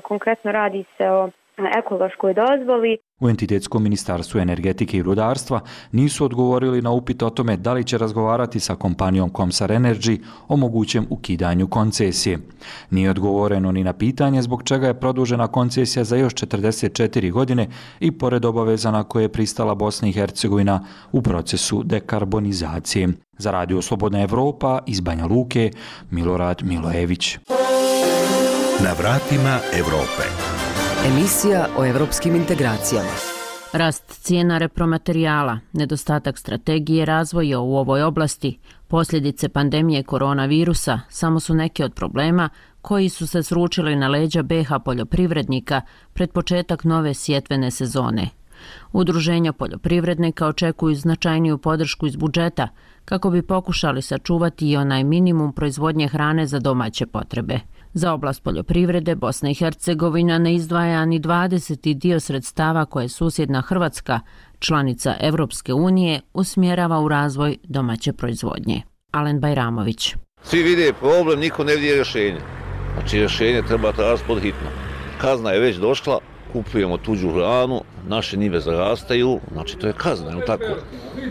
Konkretno radi se o ekološkoj dozvoli. U Entitetskom ministarstvu energetike i rudarstva nisu odgovorili na upit o tome da li će razgovarati sa kompanijom Comsar Energy o mogućem ukidanju koncesije. Nije odgovoreno ni na pitanje zbog čega je produžena koncesija za još četrdeset četiri godine i pored obaveza na koje je pristala Bosna i Hercegovina u procesu dekarbonizacije. Za Radio Slobodna Evropa iz Banja Luke, Milorad Milojević. Na vratima Evrope. Emisija o evropskim integracijama. Rast cijena repromaterijala, nedostatak strategije razvoja u ovoj oblasti, posljedice pandemije koronavirusa samo su neke od problema koji su se sručili na leđa be ha poljoprivrednika pred početak nove sjetvene sezone. Udruženja poljoprivrednika očekuju značajniju podršku iz budžeta kako bi pokušali sačuvati i onaj minimum proizvodnje hrane za domaće potrebe. Za oblast poljoprivrede Bosna i Hercegovina ne izdvaja ni dvadeseti dio sredstava koje susjedna Hrvatska, članica Evropske unije, usmjerava u razvoj domaće proizvodnje. Alen Bajramović. Svi vide problem, niko ne vidi rješenje. Znači rješenje treba tražiti pod hitno. Kazna je već došla, kupujemo tuđu hranu, naše njive zarastaju, znači to je kazna, je tako?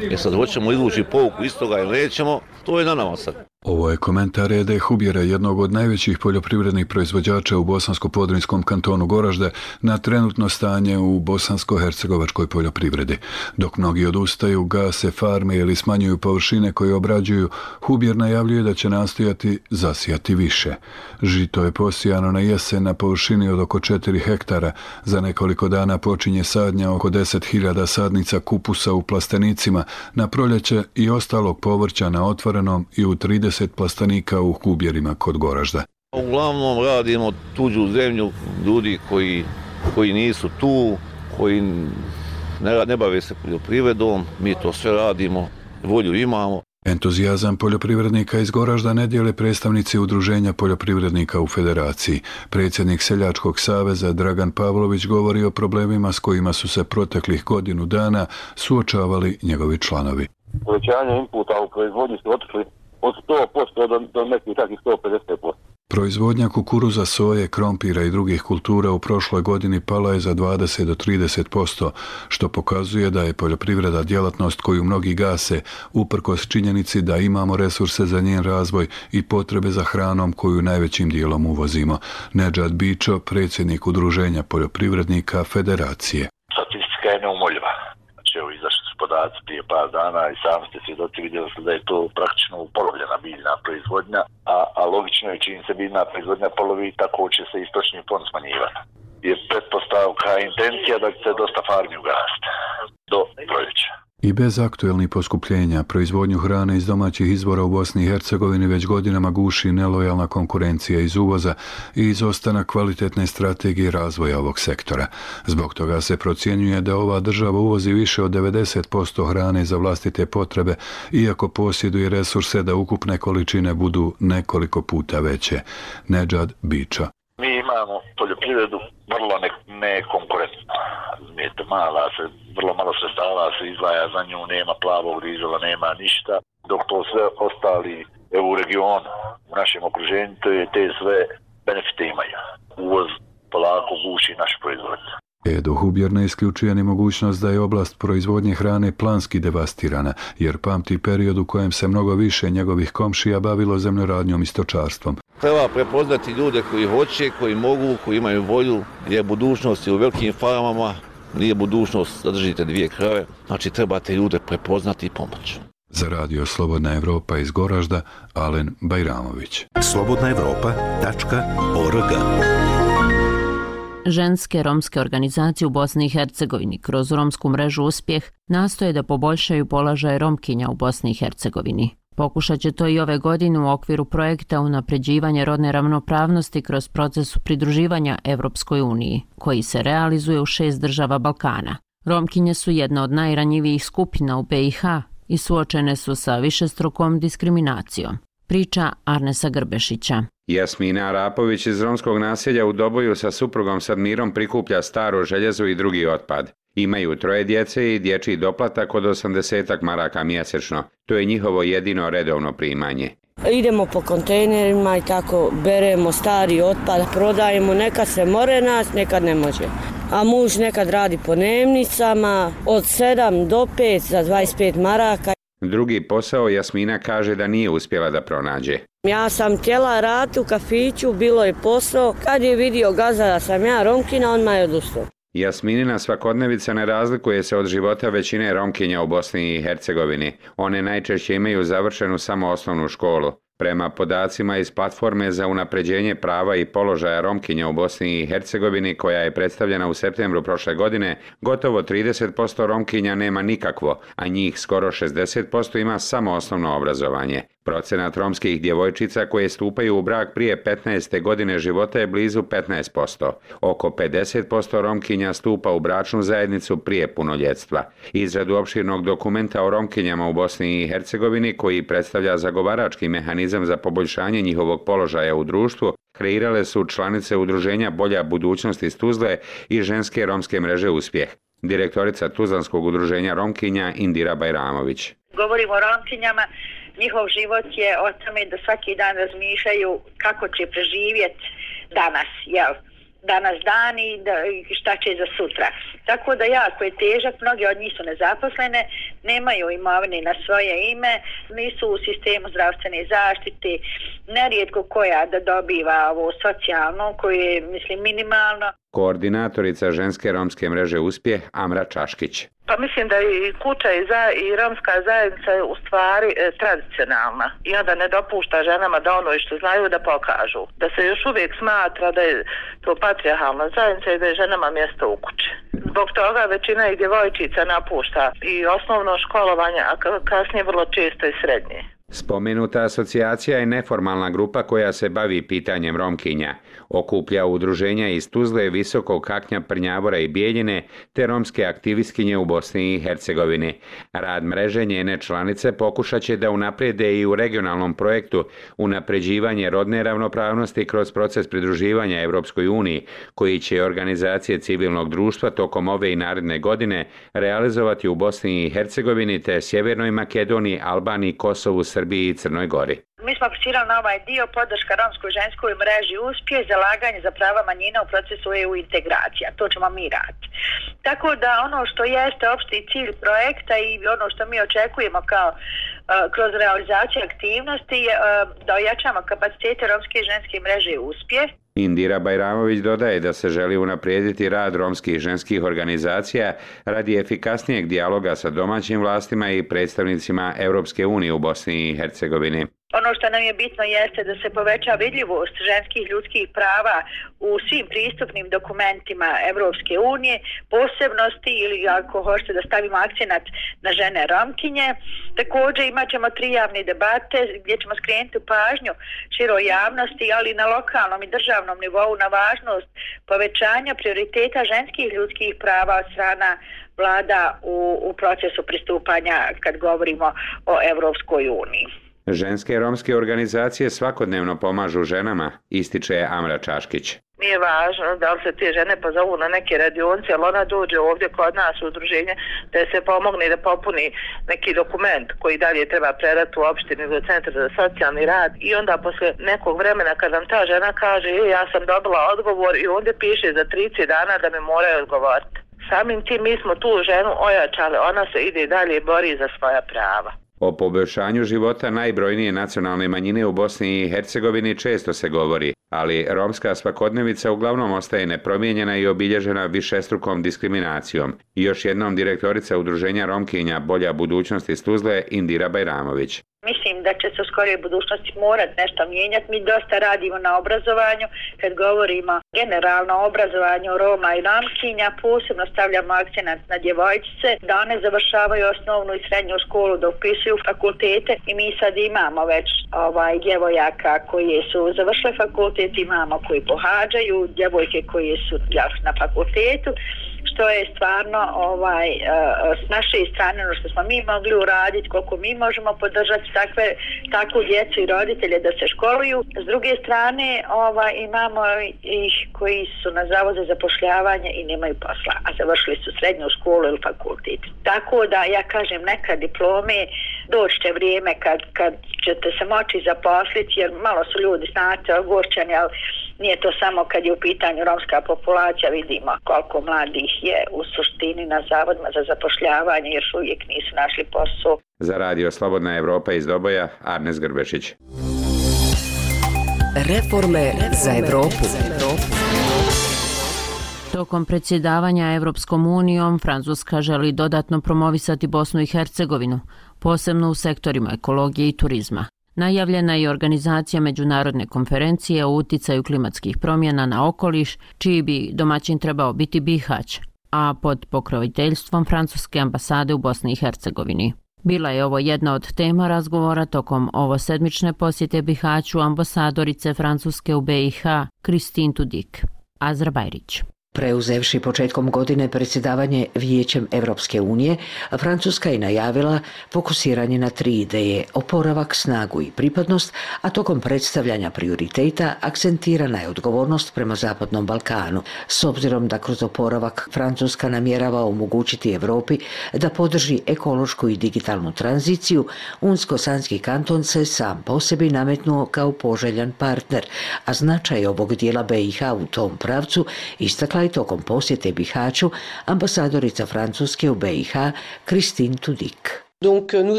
Jer sad hoćemo izvući pouku iz toga ili nećemo, to je na nama sad. Ovo je komentar Ede Hubjera, jednog od najvećih poljoprivrednih proizvođača u Bosansko-Podrinjskom kantonu Goražde, na trenutno stanje u bosansko-hercegovačkoj poljoprivredi. Dok mnogi odustaju, gase farme ili smanjuju površine koje obrađuju, Hubjer najavljuje da će nastojati zasijati više. Žito je posijano na jesen na površini od oko četiri hektara. Za nekoliko dana počinje sadnja oko deset hiljada sadnica kupusa u plastenicima, na proljeće i ostalog povrća na otvorenom i u trideset plastenika u Hubjerima kod Goražda. Uglavnom radimo tuđu zemlju, ljudi koji, koji nisu tu, koji ne, ne bave se poljoprivredom, mi to sve radimo, volju imamo. Entuzijazam poljoprivrednika iz Goražda ne dijele predstavnici Udruženja poljoprivrednika u Federaciji. Predsjednik Seljačkog saveza Dragan Pavlović govori o problemima s kojima su se proteklih godinu dana suočavali njegovi članovi. Povećanje inputa u proizvodnji su otišli od sto posto do, do nekih takvih sto pedeset posto. Proizvodnja kukuruza, soje, krompira i drugih kultura u prošloj godini pala je za dvadeset do trideset posto, što pokazuje da je poljoprivreda djelatnost koju mnogi gase, uprkos činjenici da imamo resurse za njen razvoj i potrebe za hranom koju najvećim dijelom uvozimo. Nedžad Bičo, predsjednik Udruženja poljoprivrednika Federacije. Statistika je neumoljiva. Znači, evo, izašli su podaci prije par dana i sami ste svjedoci, vidjeli ste da je to praktično upolovljena biljna proizvodnja, a, a logično je čim se biljna proizvodnja polovi, tako će se istočni fond smanjivati. Je pretpostavka, intencija da će se dosta farmi ugasiti do proljeća. I bez aktuelnih poskupljenja, proizvodnju hrane iz domaćih izvora u Bosni i Hercegovini već godinama guši nelojalna konkurencija iz uvoza i izostanak kvalitetne strategije razvoja ovog sektora. Zbog toga se procjenjuje da ova država uvozi više od devedeset posto hrane za vlastite potrebe, iako posjeduje resurse da ukupne količine budu nekoliko puta veće. Nedžad Biča. Mi imamo poljoprivredu vrlo nekonkurentnu. Razumijete, mala se, vrlo malo sredstava se izdvaja za nju, nema plavog dizela, nema ništa, dok to sve ostali evo, u regionu, u našem okruženju, te sve benefite imaju. Uvoz polako guši naš proizvod. Edo Hubjer ne isključuje ni mogućnost da je oblast proizvodnje hrane planski devastirana, jer pamti period u kojem se mnogo više njegovih komšija bavilo zemljoradnjom i stočarstvom. Treba prepoznati ljude koji hoće, koji mogu, koji imaju volju, je budućnost u velikim farmama, nije budućnost da držite dvije krave, znači trebate ljude prepoznati i pomoći. Za Radio Slobodna Evropa iz Goražda, Alen Bajramović. slobodna evropa tačka org. Ženske romske organizacije u Bosni i Hercegovini kroz romsku mrežu Uspjeh nastoje da poboljšaju položaj Romkinja u Bosni i Hercegovini. Pokušat će to i ove godine u okviru projekta unapređivanja rodne ravnopravnosti kroz proces pridruživanja Evropskoj uniji, koji se realizuje u šest država Balkana. Romkinje su jedna od najranjivijih skupina u be i ha i suočene su sa višestrukom diskriminacijom. priča Arnesa Grbešića. Jasmina Arapović iz romskog naselja u Doboju sa suprugom Sadmirom prikuplja staro željezo i drugi otpad. Imaju troje djece i dječji doplatak od osamdeset maraka mjesečno. To je njihovo jedino redovno primanje. Idemo po kontejnerima i tako beremo stari otpad, prodajemo, nekad se more nas, nekad ne može. A muž nekad radi po dnevnicama od sedam do pet za dvadeset pet maraka. Drugi posao Jasmina kaže da nije uspjela da pronađe. Ja sam htjela raditi u kafiću, bilo je posao. Kad je vidio gazda da sam ja Romkinja, on me je odustao. Jasminina svakodnevica ne razlikuje se od života većine Romkinja u Bosni i Hercegovini. One najčešće imaju završenu samo osnovnu školu. Prema podacima iz platforme za unapređenje prava i položaja Romkinja u Bosni i Hercegovini, koja je predstavljena u septembru prošle godine, gotovo trideset posto Romkinja nema nikakvo, a njih skoro šezdeset posto ima samo osnovno obrazovanje. Procenat romskih djevojčica koje stupaju u brak prije petnaeste godine života je blizu petnaest posto. Oko pedeset posto Romkinja stupa u bračnu zajednicu prije punoljetstva. Izradu opširnog dokumenta o Romkinjama u Bosni i Hercegovini, koji predstavlja zagovarački mehanizam za poboljšanje njihovog položaja u društvu, kreirale su članice udruženja Bolja budućnost iz Tuzle i ženske romske mreže Uspjeh. Direktorica Tuzlanskog udruženja Romkinja Indira Bajramović. Govorimo o Romkinjama. Njihov život je o tome da svaki dan razmišljaju kako će preživjeti danas, jel? Danas dan i da, šta će za sutra. Tako da jako je težak, mnogi od njih su nezaposlene, nemaju imovine na svoje ime, nisu u sistemu zdravstvene zaštite, nerijetko koja da dobiva ovo socijalno, koje je, mislim, minimalno. Koordinatorica ženske romske mreže Uspjeh Amra Čaškić. Pa mislim da i kuća i, za, i romska zajednica je u stvari e, tradicionalna i onda ne dopušta ženama da ono što znaju da pokažu. Da se još uvijek smatra da je to patrijarhalna zajednica i da je ženama mjesto u kući. Zbog toga većina i djevojčica napušta i osnovno školovanje, a kasnije vrlo često i srednje. Spomenuta asocijacija je neformalna grupa koja se bavi pitanjem Romkinja. Okuplja udruženja iz Tuzle, Visokog Kaknja, Prnjavora i Bijeljine te romske aktivistkinje u Bosni i Hercegovini. Rad mreže njene članice pokušat će da unaprijede i u regionalnom projektu unapređivanje rodne ravnopravnosti kroz proces pridruživanja Europskoj uniji, koji će organizacije civilnog društva tokom ove i naredne godine realizovati u Bosni i Hercegovini te Sjevernoj Makedoniji, Albaniji, Kosovu, Srbiji i Crnoj Gori. Mi smo aplicirali na ovaj dio podrška romskoj ženskoj mreži Uspjeh, zalaganje za prava manjina u procesu E U integracija. To ćemo mi raditi. Tako da ono što jeste opšti cilj projekta i ono što mi očekujemo kao uh, kroz realizaciju aktivnosti je uh, da ojačamo kapacitete romske ženske mreže Uspjeh. Indira Bajramović dodaje da se želi unaprijediti rad romskih ženskih organizacija radi efikasnijeg dijaloga sa domaćim vlastima i predstavnicima Europske unije u Bosni i Hercegovini. Ono što nam je bitno jeste da se poveća vidljivost ženskih ljudskih prava u svim pristupnim dokumentima Evropske unije, posebnosti ili ako hoćete da stavimo akcenat na žene Romkinje. Također imat ćemo tri javne debate gdje ćemo skrenuti pažnju široj javnosti, ali na lokalnom i državnom nivou na važnost povećanja prioriteta ženskih ljudskih prava od strana vlada u, u procesu pristupanja kad govorimo o Evropskoj uniji. Ženske romske organizacije svakodnevno pomažu ženama, ističe Amra Čaškić. Nije važno da li se te žene pozovu na neke radionice, ali ona dođe ovdje kod nas u udruženje da se pomogne da popuni neki dokument koji dalje treba predati u opštini ili centar za socijalni rad i onda posle nekog vremena kad nam ta žena kaže e, ja sam dobila odgovor i onda piše za trideset dana da mi moraju odgovoriti. Samim tim mi smo tu ženu ojačali, ona se ide dalje i bori za svoja prava. O poboljšanju života najbrojnije nacionalne manjine u Bosni i Hercegovini često se govori, ali romska svakodnevica uglavnom ostaje nepromijenjena i obilježena višestrukom diskriminacijom. I još jednom direktorica udruženja Romkinja Bolja budućnost iz Tuzle Indira Bajramović. Mislim da će se u skorijoj budućnosti morati nešto mijenjati. Mi dosta radimo na obrazovanju. Kad govorimo generalno o obrazovanju Roma i Romkinja, posebno stavljamo akcenat na djevojčice, da one završavaju osnovnu i srednju školu, da upisuju fakultete i mi sad imamo već ovaj, djevojaka koje su završile fakultet, imamo koji pohađaju, djevojke koje su ja, na fakultetu. što je stvarno ovaj, s naše strane ono što smo mi mogli uraditi, koliko mi možemo podržati takve, takvu djecu i roditelje da se školuju. S druge strane ovaj, imamo ih koji su na zavodu za zapošljavanje i nemaju posla, a završili su srednju školu ili fakultet. Tako da ja kažem neka diplome, doći će vrijeme kad, kad ćete se moći zaposliti, jer malo su ljudi znate ogorčeni, ali nije to samo kad je u pitanju romska populacija, vidimo koliko mladih je u suštini na zavodima za zapošljavanje, još uvijek nisu našli posao. Za radio Slobodna Evropa iz Doboja, Arnes Grbešić. Reforme za Evropu. Tokom predsjedavanja Evropskom unijom, Francuska želi dodatno promovisati Bosnu i Hercegovinu, posebno u sektorima ekologije i turizma. Najavljena je organizacija međunarodne konferencije o uticaju klimatskih promjena na okoliš, čiji bi domaćin trebao biti Bihać, a pod pokroviteljstvom Francuske ambasade u Bosni i Hercegovini. Bila je ovo jedna od tema razgovora tokom ovosedmične posjete Bihaću ambasadorice Francuske u B i H Christine Tudik. Azra Bajrić. Preuzevši početkom godine predsjedavanje Vijećem Evropske unije, Francuska je najavila fokusiranje na tri ideje: oporavak, snagu i pripadnost, a tokom predstavljanja prioriteta akcentirana je odgovornost prema Zapadnom Balkanu. S obzirom da kroz oporavak Francuska namjerava omogućiti Europi da podrži ekološku i digitalnu tranziciju, Unsko-Sanski kanton se sam po sebi nametnuo kao poželjan partner, a značaj ovog dijela B i H u tom pravcu istakla i tokom posjete Bihaću ambasadorica Francuske u B i H Christine Tudik.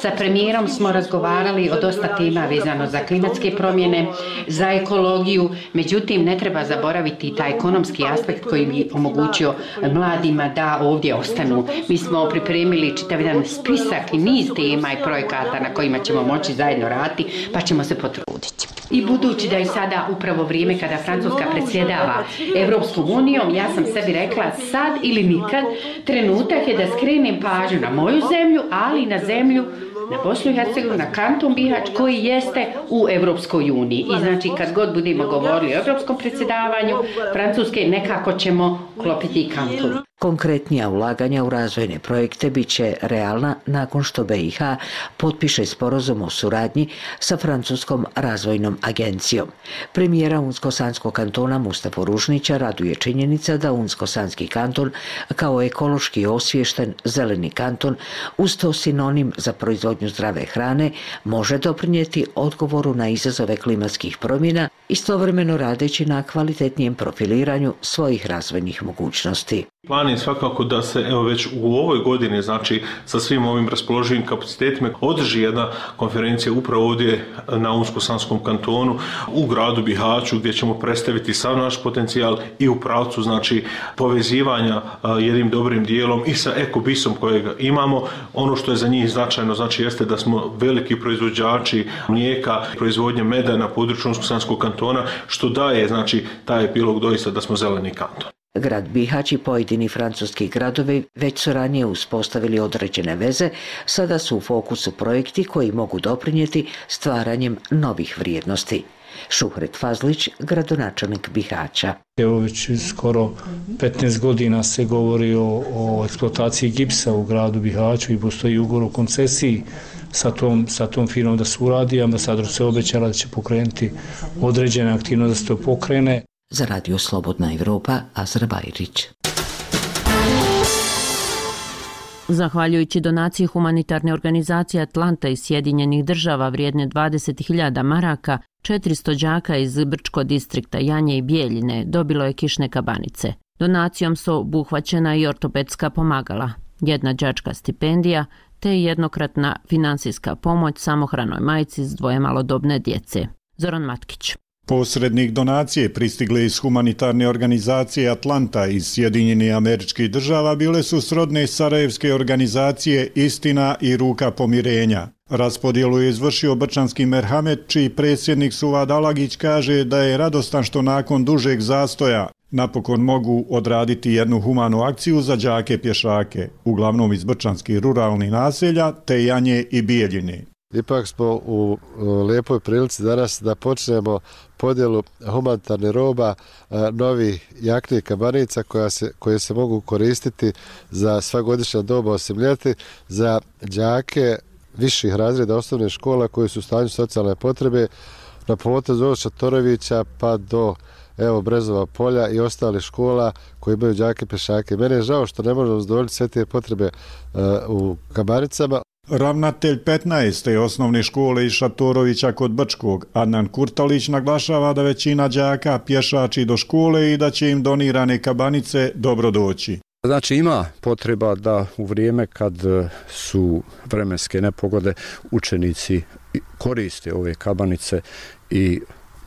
Sa premijerom smo razgovarali o dosta tema vezano za klimatske promjene, za ekologiju, međutim ne treba zaboraviti taj ekonomski aspekt koji bi omogućio mladima da ovdje ostanu. Mi smo pripremili čitav jedan spisak i niz tema i projekata na kojima ćemo moći zajedno raditi, pa ćemo se potruditi. I budući da je sada upravo vrijeme kada Francuska predsjedava Evropskom unijom, ja sam sebi rekla sad ili nikad, trenutak je da skrenem pažnju na moju zemlju, ali na zemlju, na Bosnu i Hercegovinu, na kanton Bihać koji jeste u Evropskoj uniji. I znači kad god budemo govorili o evropskom predsjedavanju Francuske, nekako ćemo klopiti i kanton. Konkretnija ulaganja u razvojne projekte bit će realna nakon što B i H potpiše sporazum o suradnji sa Francuskom razvojnom agencijom. Premijera Unsko-Sanskog kantona Mustafa Ružnića raduje činjenica da Unsko-Sanski kanton kao ekološki osviješten zeleni kanton, uz to sinonim za proizvodnju zdrave hrane, može doprinijeti odgovoru na izazove klimatskih promjena, istovremeno radeći na kvalitetnijem profiliranju svojih razvojnih mogućnosti. Plan je svakako da se evo već u ovoj godini, znači sa svim ovim raspoloživim kapacitetima, održi jedna konferencija upravo ovdje na Unsko-Sanskom kantonu u gradu Bihaću, gdje ćemo predstaviti sav naš potencijal i u pravcu znači povezivanja jednim dobrim dijelom i sa ekobisom kojeg imamo. Ono što je za njih značajno znači jeste da smo veliki proizvođači mlijeka, proizvodnje meda na području Unsko-Sanskog kantona, što daje znači taj epilog doista da smo zeleni kanton. Grad Bihać i pojedini francuski gradovi već su ranije uspostavili određene veze, sada su u fokusu projekti koji mogu doprinijeti stvaranjem novih vrijednosti. Šuhret Fazlić, gradonačelnik Bihaća. Evo već skoro petnaest godina se govori o, o eksploataciji gipsa u gradu Bihaću i postoji ugovor o koncesiji sa tom, sa tom firmom da se uradi. Ambasador se obećala da će pokrenuti određene aktivnosti da se to pokrene. Za radio Slobodna Evropa, Azra Bajrić. Zahvaljujući donaciji humanitarne organizacije Atlanta iz Sjedinjenih država vrijedne dvadeset hiljada maraka, četiristo đaka iz Brčko distrikta Janje i Bijeljine dobilo je kišne kabanice. Donacijom su obuhvaćena i ortopedska pomagala, jedna đačka stipendija te jednokratna finansijska pomoć samohranoj majci s dvoje malodobne djece. Zoran Matkić. Posrednik donacije pristigle iz humanitarne organizacije Atlanta iz Sjedinjenih Američkih država bile su srodne sarajevske organizacije Istina i Ruka pomirenja. Raspodjelu je izvršio brčanski merhamet, čiji predsjednik Suvad Alagić kaže da je radostan što nakon dužeg zastoja napokon mogu odraditi jednu humanu akciju za đake pješake, uglavnom iz brčanskih ruralnih naselja te Janje i Bijeljine. Ipak smo u lijepoj prilici danas da počnemo podjelu humanitarne roba novih jakni kabanica koja se, koje se mogu koristiti za sva godišnja doba osim ljeti za đake viših razreda osnovne škola koji su u stanju socijalne potrebe na potezu od Šatorovića pa do evo Brezova polja i ostale škola koji imaju đake pješake. Mene je žao što ne možemo zadovoljiti sve te potrebe uh, u kabanicama. Ravnatelj petnaeste osnovne škole iz Šatorovića kod Brčkog, Adnan Kurtalić, naglašava da većina đaka pješači do škole i da će im donirane kabanice dobro doći. Znači ima potreba da u vrijeme kad su vremenske nepogode učenici koriste ove kabanice i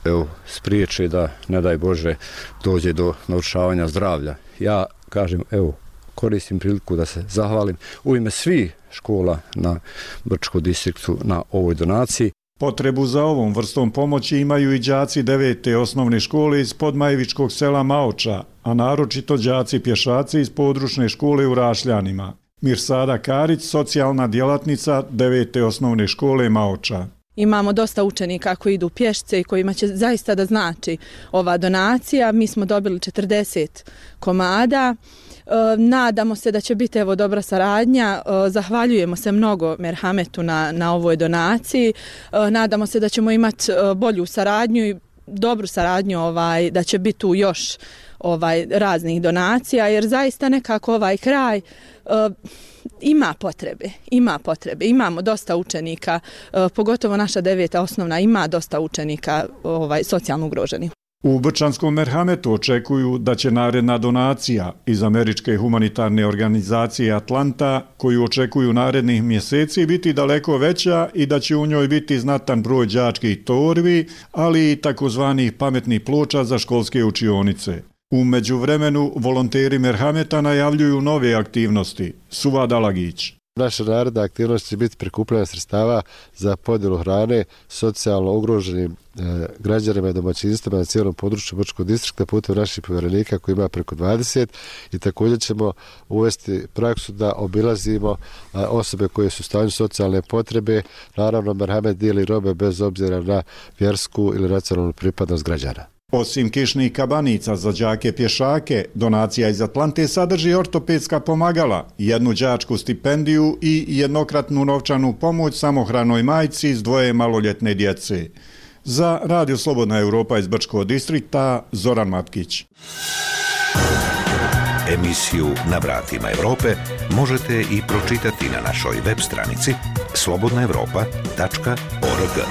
evo, spriječe da, ne daj Bože, dođe do narušavanja zdravlja. Ja kažem, evo, koristim priliku da se zahvalim u ime svih škola na Brčkom distriktu na ovoj donaciji. Potrebu za ovom vrstom pomoći imaju i đaci devete osnovne škole iz podmajevičkog sela Maoča, a naročito đaci pješaci iz područne škole u Rašljanima. Mirsada Karić, socijalna djelatnica devete osnovne škole Maoča. Imamo dosta učenika koji idu pješce i kojima će zaista da znači ova donacija. Mi smo dobili četrdeset komada. Nadamo se da će biti evo dobra saradnja. Zahvaljujemo se mnogo Merhametu na, na ovoj donaciji. Nadamo se da ćemo imati bolju saradnju i dobru saradnju, ovaj, da će biti tu još ovaj, raznih donacija, jer zaista nekako ovaj kraj uh, ima potrebe, ima potrebe. Imamo dosta učenika, uh, pogotovo naša deveta osnovna ima dosta učenika ovaj, socijalno ugroženih. U Brčanskom Merhametu očekuju da će naredna donacija iz američke humanitarne organizacije Atlanta, koju očekuju narednih mjeseci, biti daleko veća i da će u njoj biti znatan broj đačkih torbi, ali i takozvanih pametnih ploča za školske učionice. U međuvremenu volonteri Merhameta najavljuju nove aktivnosti. Suva Dalagić. Naša naredna aktivnost će biti prikupljanje sredstava za podjelu hrane socijalno ugroženim e, građanima i domaćinstvima na cijelom području Brčkog distrikta putem naših povjerenika koji ima preko dvadeset i također ćemo uvesti praksu da obilazimo a, osobe koje su u stanju socijalne potrebe. Naravno, Merhamet dijeli robe bez obzira na vjersku ili nacionalnu pripadnost građana. Osim kišnih kabanica za đake pješake, donacija iz Atlante sadrži ortopedska pomagala, jednu đačku stipendiju i jednokratnu novčanu pomoć samohranoj majci s dvoje maloljetne djece. Za Radio Slobodna Europa iz Brčkog distrikta, Zoran Matkić. Emisiju Na vratima Europe možete i pročitati na našoj web stranici slobodna europa tačka org.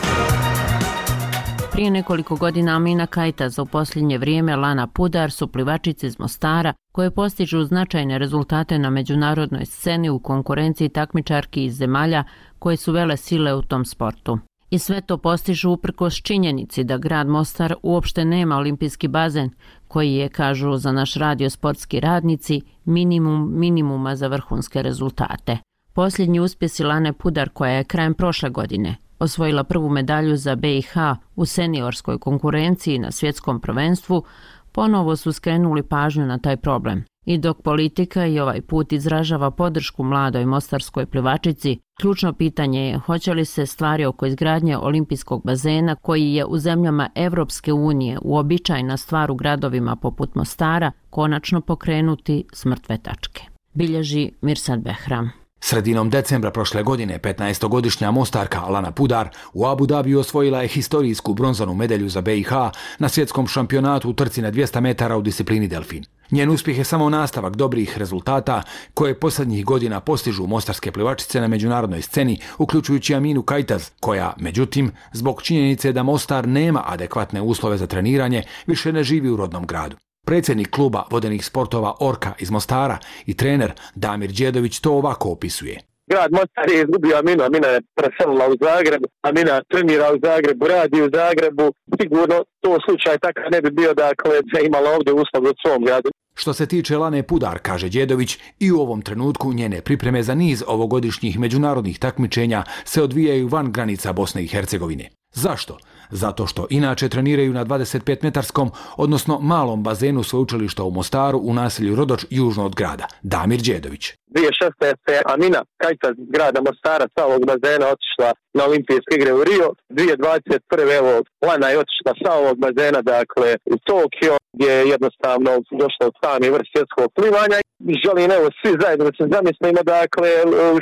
Prije nekoliko godina Amina Kajtaz, u posljednje vrijeme Lana Pudar su plivačice iz Mostara koje postižu značajne rezultate na međunarodnoj sceni u konkurenciji takmičarki iz zemalja koje su vele sile u tom sportu. I sve to postižu uprkos činjenici da grad Mostar uopšte nema olimpijski bazen, koji je, kažu za naš radio sportski radnici, minimum minimuma za vrhunske rezultate. Posljednji uspjesi Lane Pudar, koja je krajem prošle godine osvojila prvu medalju za B i H u seniorskoj konkurenciji na svjetskom prvenstvu, ponovo su skrenuli pažnju na taj problem. I dok politika i ovaj put izražava podršku mladoj mostarskoj plivačici, ključno pitanje je hoće li se stvari oko izgradnje olimpijskog bazena, koji je u zemljama Evropske unije uobičajena stvar u gradovima poput Mostara, konačno pokrenuti s mrtve tačke. Bilježi Mirsad Behram. Sredinom decembra prošle godine petnaestogodišnja Mostarka Lana Pudar u Abu Dhabiju osvojila je historijsku bronzanu medalju za B i H na svjetskom šampionatu u trci na dvjesto metara u disciplini delfin. Njen uspjeh je samo nastavak dobrih rezultata koje posljednjih godina postižu mostarske plivačice na međunarodnoj sceni, uključujući Aminu Kajtaz, koja, međutim, zbog činjenice da Mostar nema adekvatne uslove za treniranje, više ne živi u rodnom gradu. Predsjednik kluba vodenih sportova Orka iz Mostara i trener Damir Đedović to ovako opisuje. Grad Mostar je izgubio Aminu, Amina je preselila u Zagreb, Amina trenira u Zagrebu, radi u Zagrebu, sigurno to slučaj takav ne bi bio dakle da imala ovdje uslov u svom gradu. Što se tiče Lane Pudar, kaže Đedović, i u ovom trenutku njene pripreme za niz ovogodišnjih međunarodnih takmičenja se odvijaju van granica Bosne i Hercegovine. Zašto? Zato što inače treniraju na dvadeset pet metarskom, odnosno malom bazenu sveučilišta u Mostaru u naselju Rodoč južno od grada. Damir Đedović. dvije tisuće šesnaeste. Amina Kajta iz grada Mostara sa ovog bazena otišla na olimpijske igre u Rio. dvije tisuće dvadeset prve. evo Lana je otišla sa ovog bazena, dakle u Tokio, gdje je jednostavno došla u sami vrh svjetskog plivanja. Želim evo svi zajedno da se zamislimo, dakle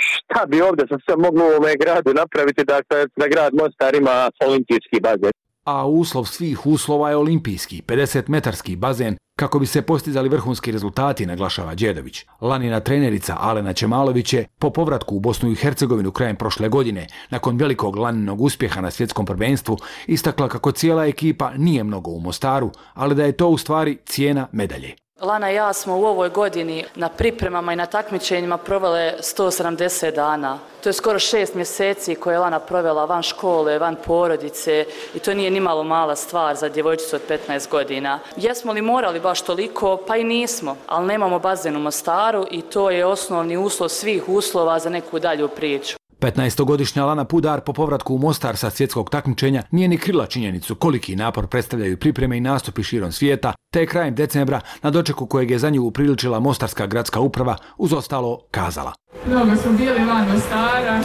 šta bi ovdje sa sve moglo u ovome gradu napraviti, dakle da grad Mostar ima olimpijski bazen. A uslov svih uslova je olimpijski, pedesetmetarski bazen, kako bi se postizali vrhunski rezultati, naglašava Đedović. Lanina trenerica Alena Čemalović je po povratku u Bosnu i Hercegovinu krajem prošle godine, nakon velikog Laninog uspjeha na svjetskom prvenstvu, istakla kako cijela ekipa nije mnogo u Mostaru, ali da je to u stvari cijena medalje. Lana i ja smo u ovoj godini na pripremama i na takmičenjima provele sto sedamdeset dana. To je skoro šest mjeseci koje je Lana provela van škole, van porodice i to nije nimalo mala stvar za djevojčicu od petnaest godina. Jesmo li morali baš toliko? Pa i nismo, ali nemamo bazen u Mostaru i to je osnovni uslov svih uslova za neku dalju priču. petnaestogodišnja Lana Pudar po povratku u Mostar sa svjetskog takmičenja nije ni krila činjenicu koliki napor predstavljaju pripreme i nastupi širom svijeta, te je krajem decembra na dočeku kojeg je za nju upriličila Mostarska gradska uprava uz ostalo kazala. Mnogo smo bili van Mostara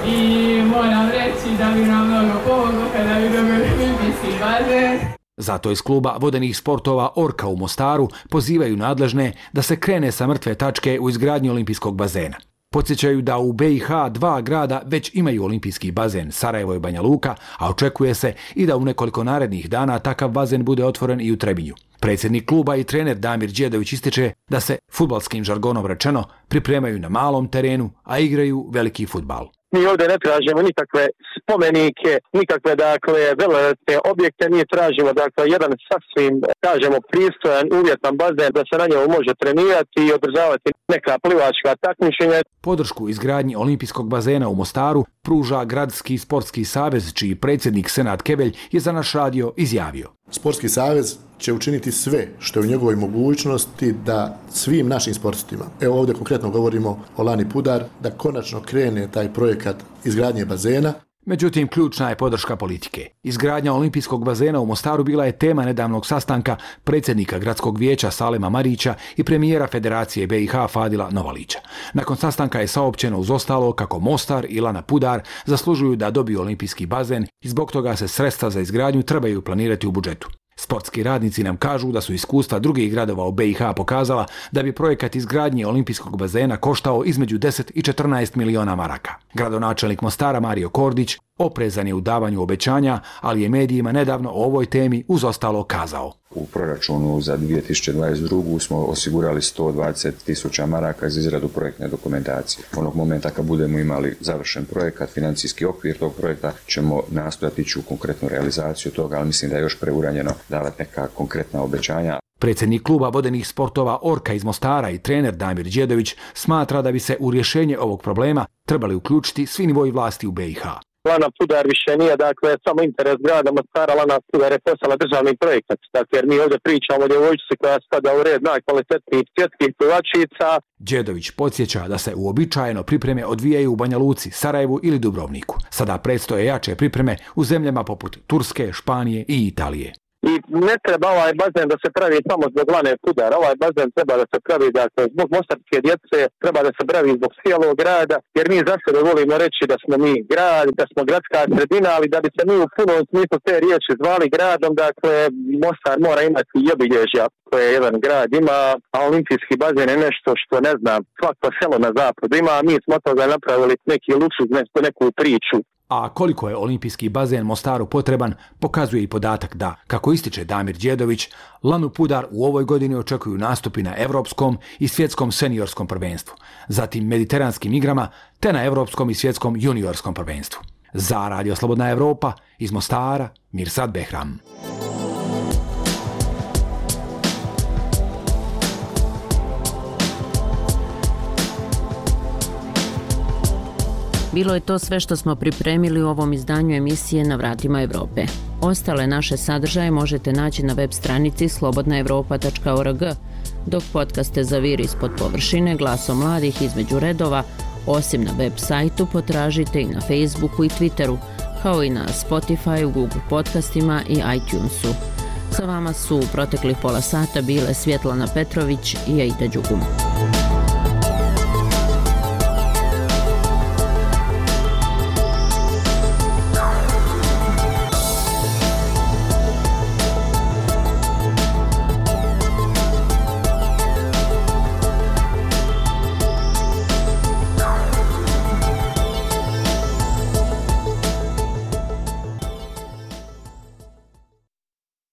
i moram reći da bi nam mnogo pomoglo kada bi dobili olimpijski bazen. Zato iz kluba vodenih sportova Orka u Mostaru pozivaju nadležne da se krene sa mrtve tačke u izgradnji olimpijskog bazena. Podsjećaju da u be i ha dva grada već imaju olimpijski bazen, Sarajevo i Banja Luka, a očekuje se i da u nekoliko narednih dana takav bazen bude otvoren i u Trebinju. Predsjednik kluba i trener Damir Đedović ističe da se, fudbalskim žargonom rečeno, pripremaju na malom terenu, a igraju veliki fudbal. Mi ovdje ne tražimo nikakve spomenike, nikakve, dakle, velelepne objekte, mi tražimo, dakle, jedan sasvim, kažemo, pristojan, uvjetan bazen da se na njemu može trenirati i održavati neka plivačka takmičenja. Podršku izgradnji olimpijskog bazena u Mostaru pruža Gradski sportski savez, čiji predsjednik Senad Kebelj je za naš radio izjavio. Sportski savez će učiniti sve što je u njegovoj mogućnosti da svim našim sportistima, evo ovdje konkretno govorimo o Lani Pudar, da konačno krene taj projekat izgradnje bazena. Međutim, ključna je podrška politike. Izgradnja olimpijskog bazena u Mostaru bila je tema nedavnog sastanka predsjednika gradskog vijeća Salema Marića i premijera Federacije be i ha Fadila Novalića. Nakon sastanka je saopćeno uz ostalo kako Mostar i Lana Pudar zaslužuju da dobiju olimpijski bazen i zbog toga se sredstva za izgradnju trebaju planirati u budžetu. Sportski radnici nam kažu da su iskustva drugih gradova u be i ha pokazala da bi projekat izgradnje olimpijskog bazena koštao između deset i četrnaest miliona maraka. Gradonačelnik Mostara Mario Kordić oprezan je u davanju obećanja, ali je medijima nedavno o ovoj temi uz ostalo kazao. U proračunu za dvije tisuće dvadeset drugu smo osigurali sto dvadeset tisuća maraka za izradu projektne dokumentacije. Onog momenta kad budemo imali završen projekat, financijski okvir tog projekta, ćemo nastojati ići u konkretnu realizaciju toga, ali mislim da je još preuranjeno davati neka konkretna obećanja. Predsjednik kluba vodenih sportova Orka iz Mostara i trener Damir Đedović smatra da bi se u rješenje ovog problema trebali uključiti svi nivoji vlasti u be i ha. Lana Pudar više nije, dakle, samo interes grada Mostara, Lana Pudar je postala državni projekat. Dakle, jer mi ovdje pričamo o djevojčici koja spada u red najkvalitetnijih svjetskih plivačica. Đedović podsjeća da se uobičajeno pripreme odvijaju u Banja Luci, Sarajevu ili Dubrovniku. Sada predstoje jače pripreme u zemljama poput Turske, Španije i Italije. I ne treba ovaj bazen da se pravi samo zbog Lane Pudar, ovaj bazen treba da se pravi, dakle, zbog mostarske djece, treba da se pravi zbog cijelog grada, jer mi za sebe volimo reći da smo mi grad, da smo gradska sredina, ali da bi se mi u punom smislu te riječi zvali gradom, dakle, Mostar mora imati i obilježja koje jedan grad ima, a olimpijski bazen je nešto što, ne znam, svako selo na zapadu ima, a mi smo toga napravili neki luksuz, neku priču. A koliko je olimpijski bazen Mostaru potreban, pokazuje i podatak da, kako ističe Damir Đedović, Lanu Pudar u ovoj godini očekuju nastupi na Evropskom i svjetskom seniorskom prvenstvu, zatim mediteranskim igrama te na Evropskom i svjetskom juniorskom prvenstvu. Za Radio Slobodna Evropa, iz Mostara, Mirsad Behram. Bilo je to sve što smo pripremili u ovom izdanju emisije Na vratima Evrope. Ostale naše sadržaje možete naći na web stranici slobodna evropa tačka org, dok podcaste Zaviri ispod površine, Glasom mladih između redova, osim na web sajtu potražite i na Facebooku i Twitteru, kao i na Spotify, Google podcastima i iTunesu. Sa vama su u proteklih pola sata bile Svjetlana Petrović i Aida Đugum.